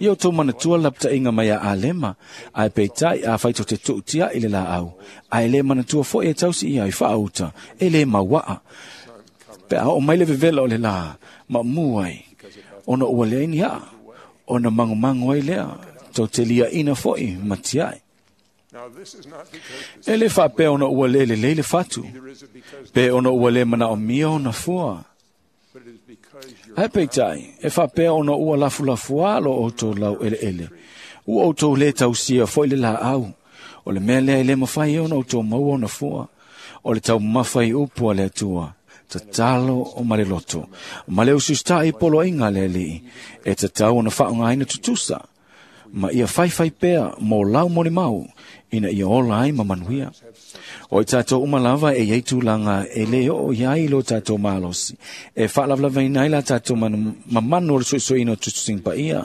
I o tō manatua lapta inga mai a alema, ai peitai a whaito te tuutia i le la au. Ai le manatua fo e tausi ia i whaauta, e le mauaa. Pe a o mai le vevela o le la, ma muai, ona ua lea ni aa, ona mango mango ai lea, tau te lia ina foi matiai. E le whaapea ona ua le le leile whatu, pe ona ua le mana o mia ona fua. Ai peitai, e whaapea ona ua lafu lafu alo o tō lau ele ele. Ua o tō le tausia foi le la au. O le mea lea e le mawhai ona o tō maua ona fua. O le tau mawhai upu a le atua. Tatalo o maleloto. Ma le usustai polo inga le alii. E tatau ona whaongaina tutusa. Ma ia whaiwhai pea mō lau moni mau ina ia ola ai ma manuia. O i tātou umalava e iei tūlanga e le o iai lo tātou malosi. E whaalavlava inai la tātou mamanu o le suesueina o tutusinga paia.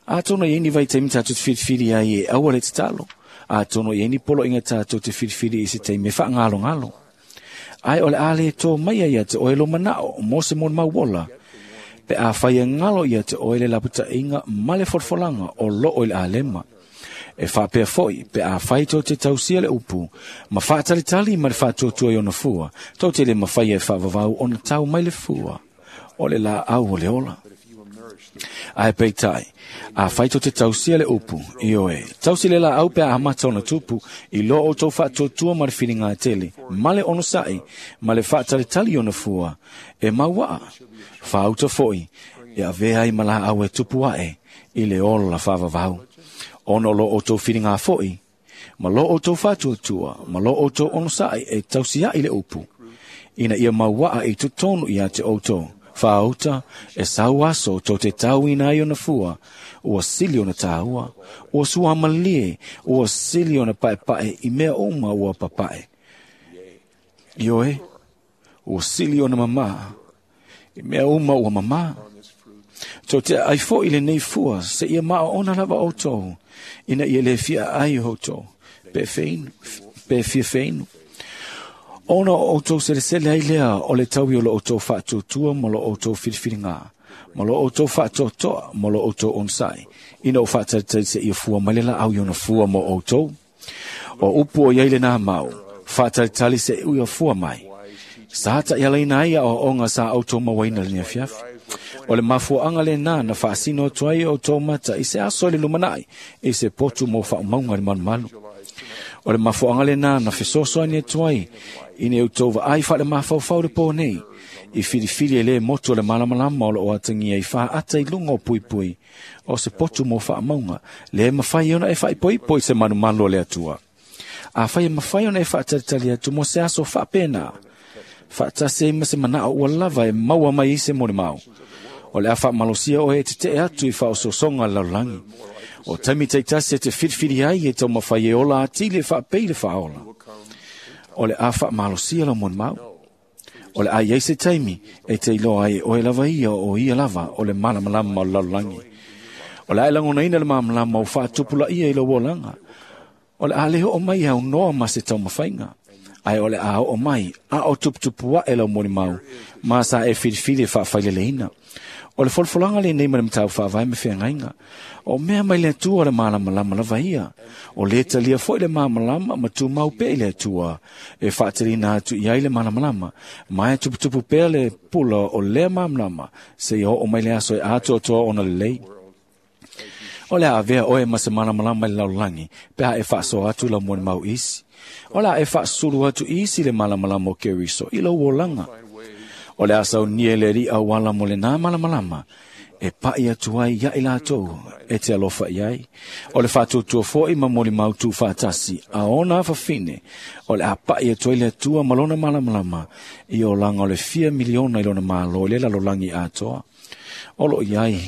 A tono i eni vai teimi tātou te whiriwhiri ai e aua le tatalo. A tono i eni polo inga tātou te whiriwhiri i se teimi e whaangalo ngalo. Ai o le ale tō mai ia te oe lo manao mō se moni mauola. Pe a whai ngalo ia te oe le laputa inga male forfolanga o lo o le alema. E whaapea foi, pe a whai tō te tausia le upu, ma whaatalitali ma le whaatuatua i ona fua, tō te le mawhai e whaavavau ona tau mai le fua, o le la au o le ola. Ai peitai, a whai tō te tausia le upu, i oe, tausi le la au pe a amata ona tupu, i lo o tō whaatuatua ma le whiringa tele, ma le ono sai, ma le whaatalitali ona fua, e mauaa, whaauta foi, e avea i mala au e tupu ae, i le ola whaavavau. Ono lo o tō whiringa foi, ma lo o tō whātuatua, ma lo o tō onosai e tausia i le upu. Ina ia mauaa i tutonu ia te o tō, whaauta e sauaso tō te tau ina ai ona fua, ua sili ona tāua, ua suamalie, ua sili ona paepae i mea uma ua papae. Ioe, ua sili ona mamā, i mea uma ua mamā. Tō te ai fo i le nei fua, se ia maa ona lava o tō, ina ia le fia ai o tō, pe wheinu, pe fia wheinu. Ona o tō selesele ai lea o le tau i o lo o tō whaatuatua ma lo o tō whiriwhiringa, ma lo o tō whaatoatoa ma lo o tō onsai, ina o whaataitai se ia fua mai le la au i ona fua mo o tō. O upu o iai le nā mau, whaataitali se ua fua mai. Sa ta ia leina ai o onga sa au tō mawaina le nia fiafi. O le mafuaanga le nā na whaasino tuai o tō mata i se aso le lumanai i se potu mō whaamaunga le malumalu. O le mafuaanga le nā na fesoasoani tuai i ne utova ai wha le mawhauwhau le pō nei. I whiriwhiri e le motu o le malamalama o le oatangia i whaata i lunga o pui pui. O se potu mō whaamaunga le mawhai ona e whaipoipo i se manumalu o le atua. A whai e mawhai ona e whaatalitali atu mō se aso whaapena. Whaatase ma se manao ua lava e maua mai i se moni mau. O le awha malosia o e te te atu i whaososonga laulangi. O taimi teitasi e te whiriwhiri ai e tau mawhai e ola atile whaapei le whaola. O le awha malosia lau moni mau. O le ai se taimi e te iloa ai o e lava ia o ia lava o le malamalama o laulangi. O le ai langona ina le malamalama o whaatupula ia i lau olanga. O le aleho o mai au noa ma se tau mawhainga. Ai o le a o mai, a o tuputupu e lau moni mau, ma sa e whiriwhiri e whaawhaileleina. O le folfolanga le nei ma le matau whaavai me whengainga. O mea mai le atua o le malamalama lava ia. O le talia foi le malamalama ma tūmau pe i le atua. E whaatalina atu i ai le malamalama. Mai tuputupu pea le pula o lea malamalama. Se i o mai le aso e atoatoa ona lelei. O le avea oe ma se malamalama i le laulangi, pe a e whaasoa atu lau moni mau isi. O le a e whaasuru atu isi le malamalama o Keriso i lau olanga. O le asau nie le ri au ala mo le nā malamalama, E pai atu ai ia i latou e te alofa i ai. O le whātautua foi ma moli mautu whātasi a ona whawhine o le a pai atu ai le atua ma lona malamalama i o langa o le fia miliona i lona malo i le lalolangi atoa. O lo i ai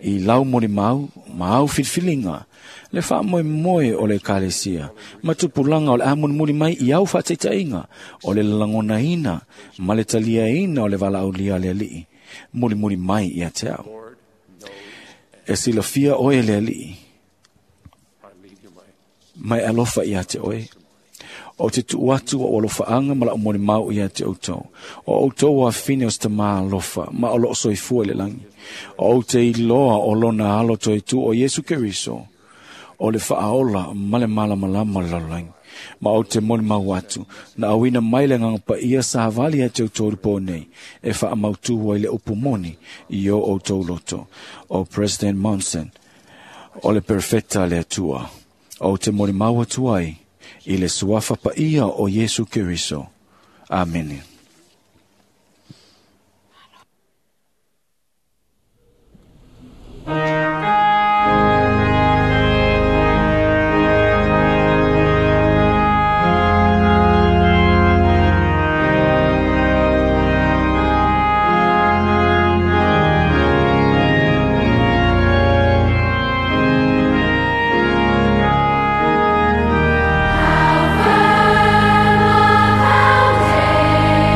i lau moli mau, ma au filfilinga, le wha moe moe o le kalesia, ma tupulanga o le amunimuli mai i au whātaitainga, o le langona ina, ma le talia ina o le walaulia le alii, muli muli mai i a te au. E silafia oe le alii, mai alofa i a te oe. O te tuu atu o alofa anga ma lau moli mau i a te outou. O outou o afine o se tamā alofa, ma o loo soifua i le langi. O ou te iloa o lona alo toe tu o Iesu Keriso, o le whaaola ma le malamalama o le lalolagi. Ma o te moli mau atu, na awina mai le nganga pa ia sa havali a te outou lipo nei, e wha mautua i le upu moni i o outou loto. O President Monson, o le perfecta le atua. O te moli mau atu ai, i le suafa pa ia o Iesu Keriso. Amene. How firm a foundation.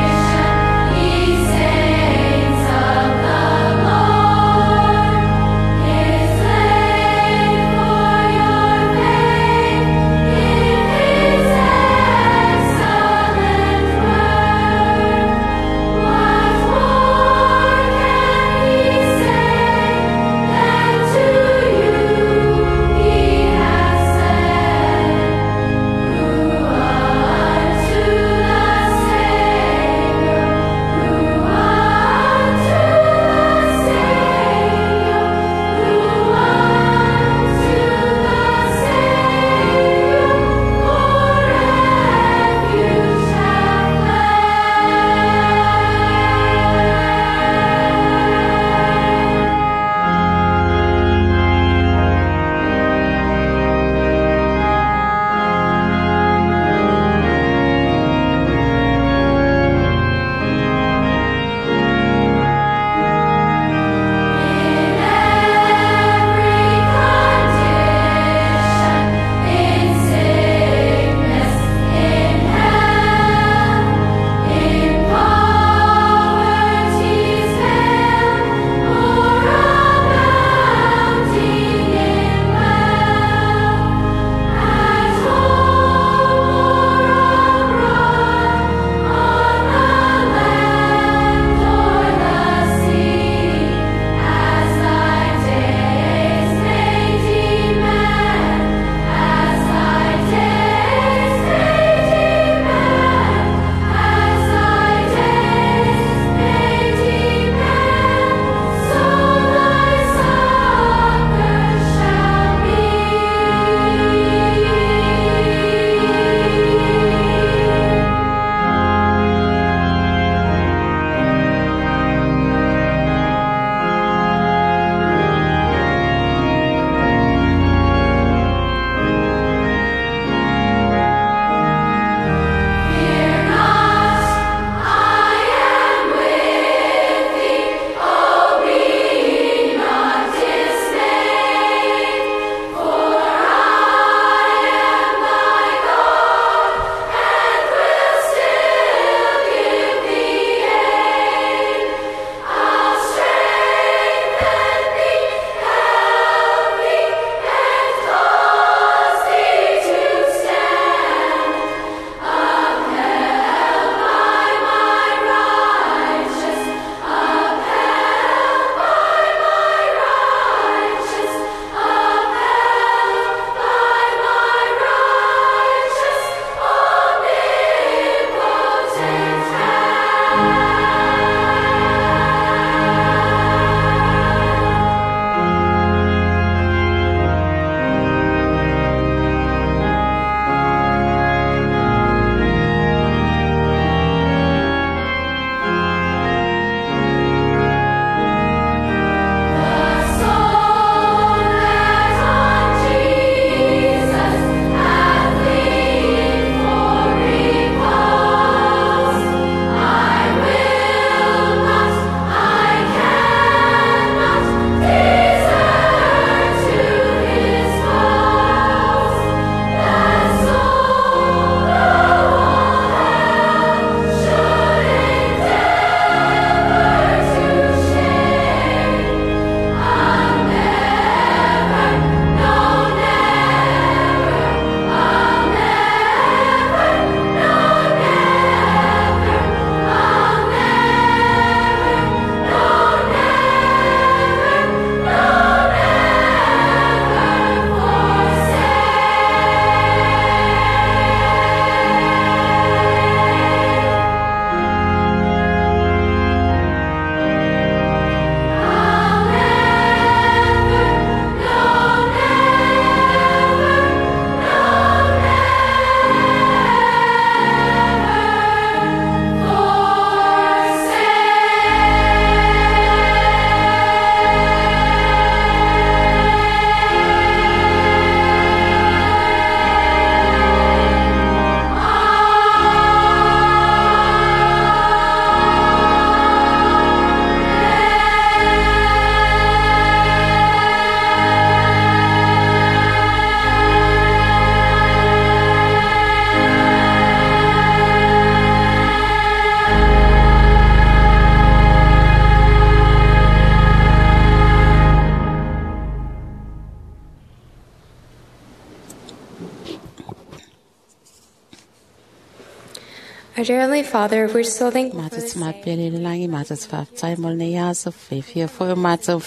Our dear Heavenly Father, we're so thankful for Mātou this te day. māpere le langi, mātou te whāwhtai mo nei aso, whiwhia foi o mātou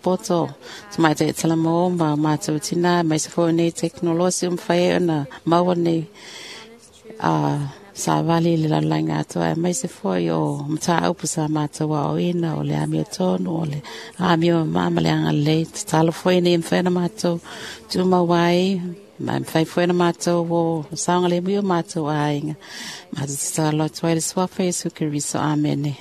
poto, te mai te tala mō, ma mātou tina, mai se foi nei teknolosi um whai e ona, maua nei, a sa vali le lalanga atoa, mai se foi o mata aupu sa mātou a o ina, o le amio tonu, o le amio mama le anga lei, te talo foi nei mwhena mātou, tuma wai, ma mwhai foi na mātou o saunga le mui o mātou ainga. Mātou te talo atu ai le suafa Yesu Keriso. Amene.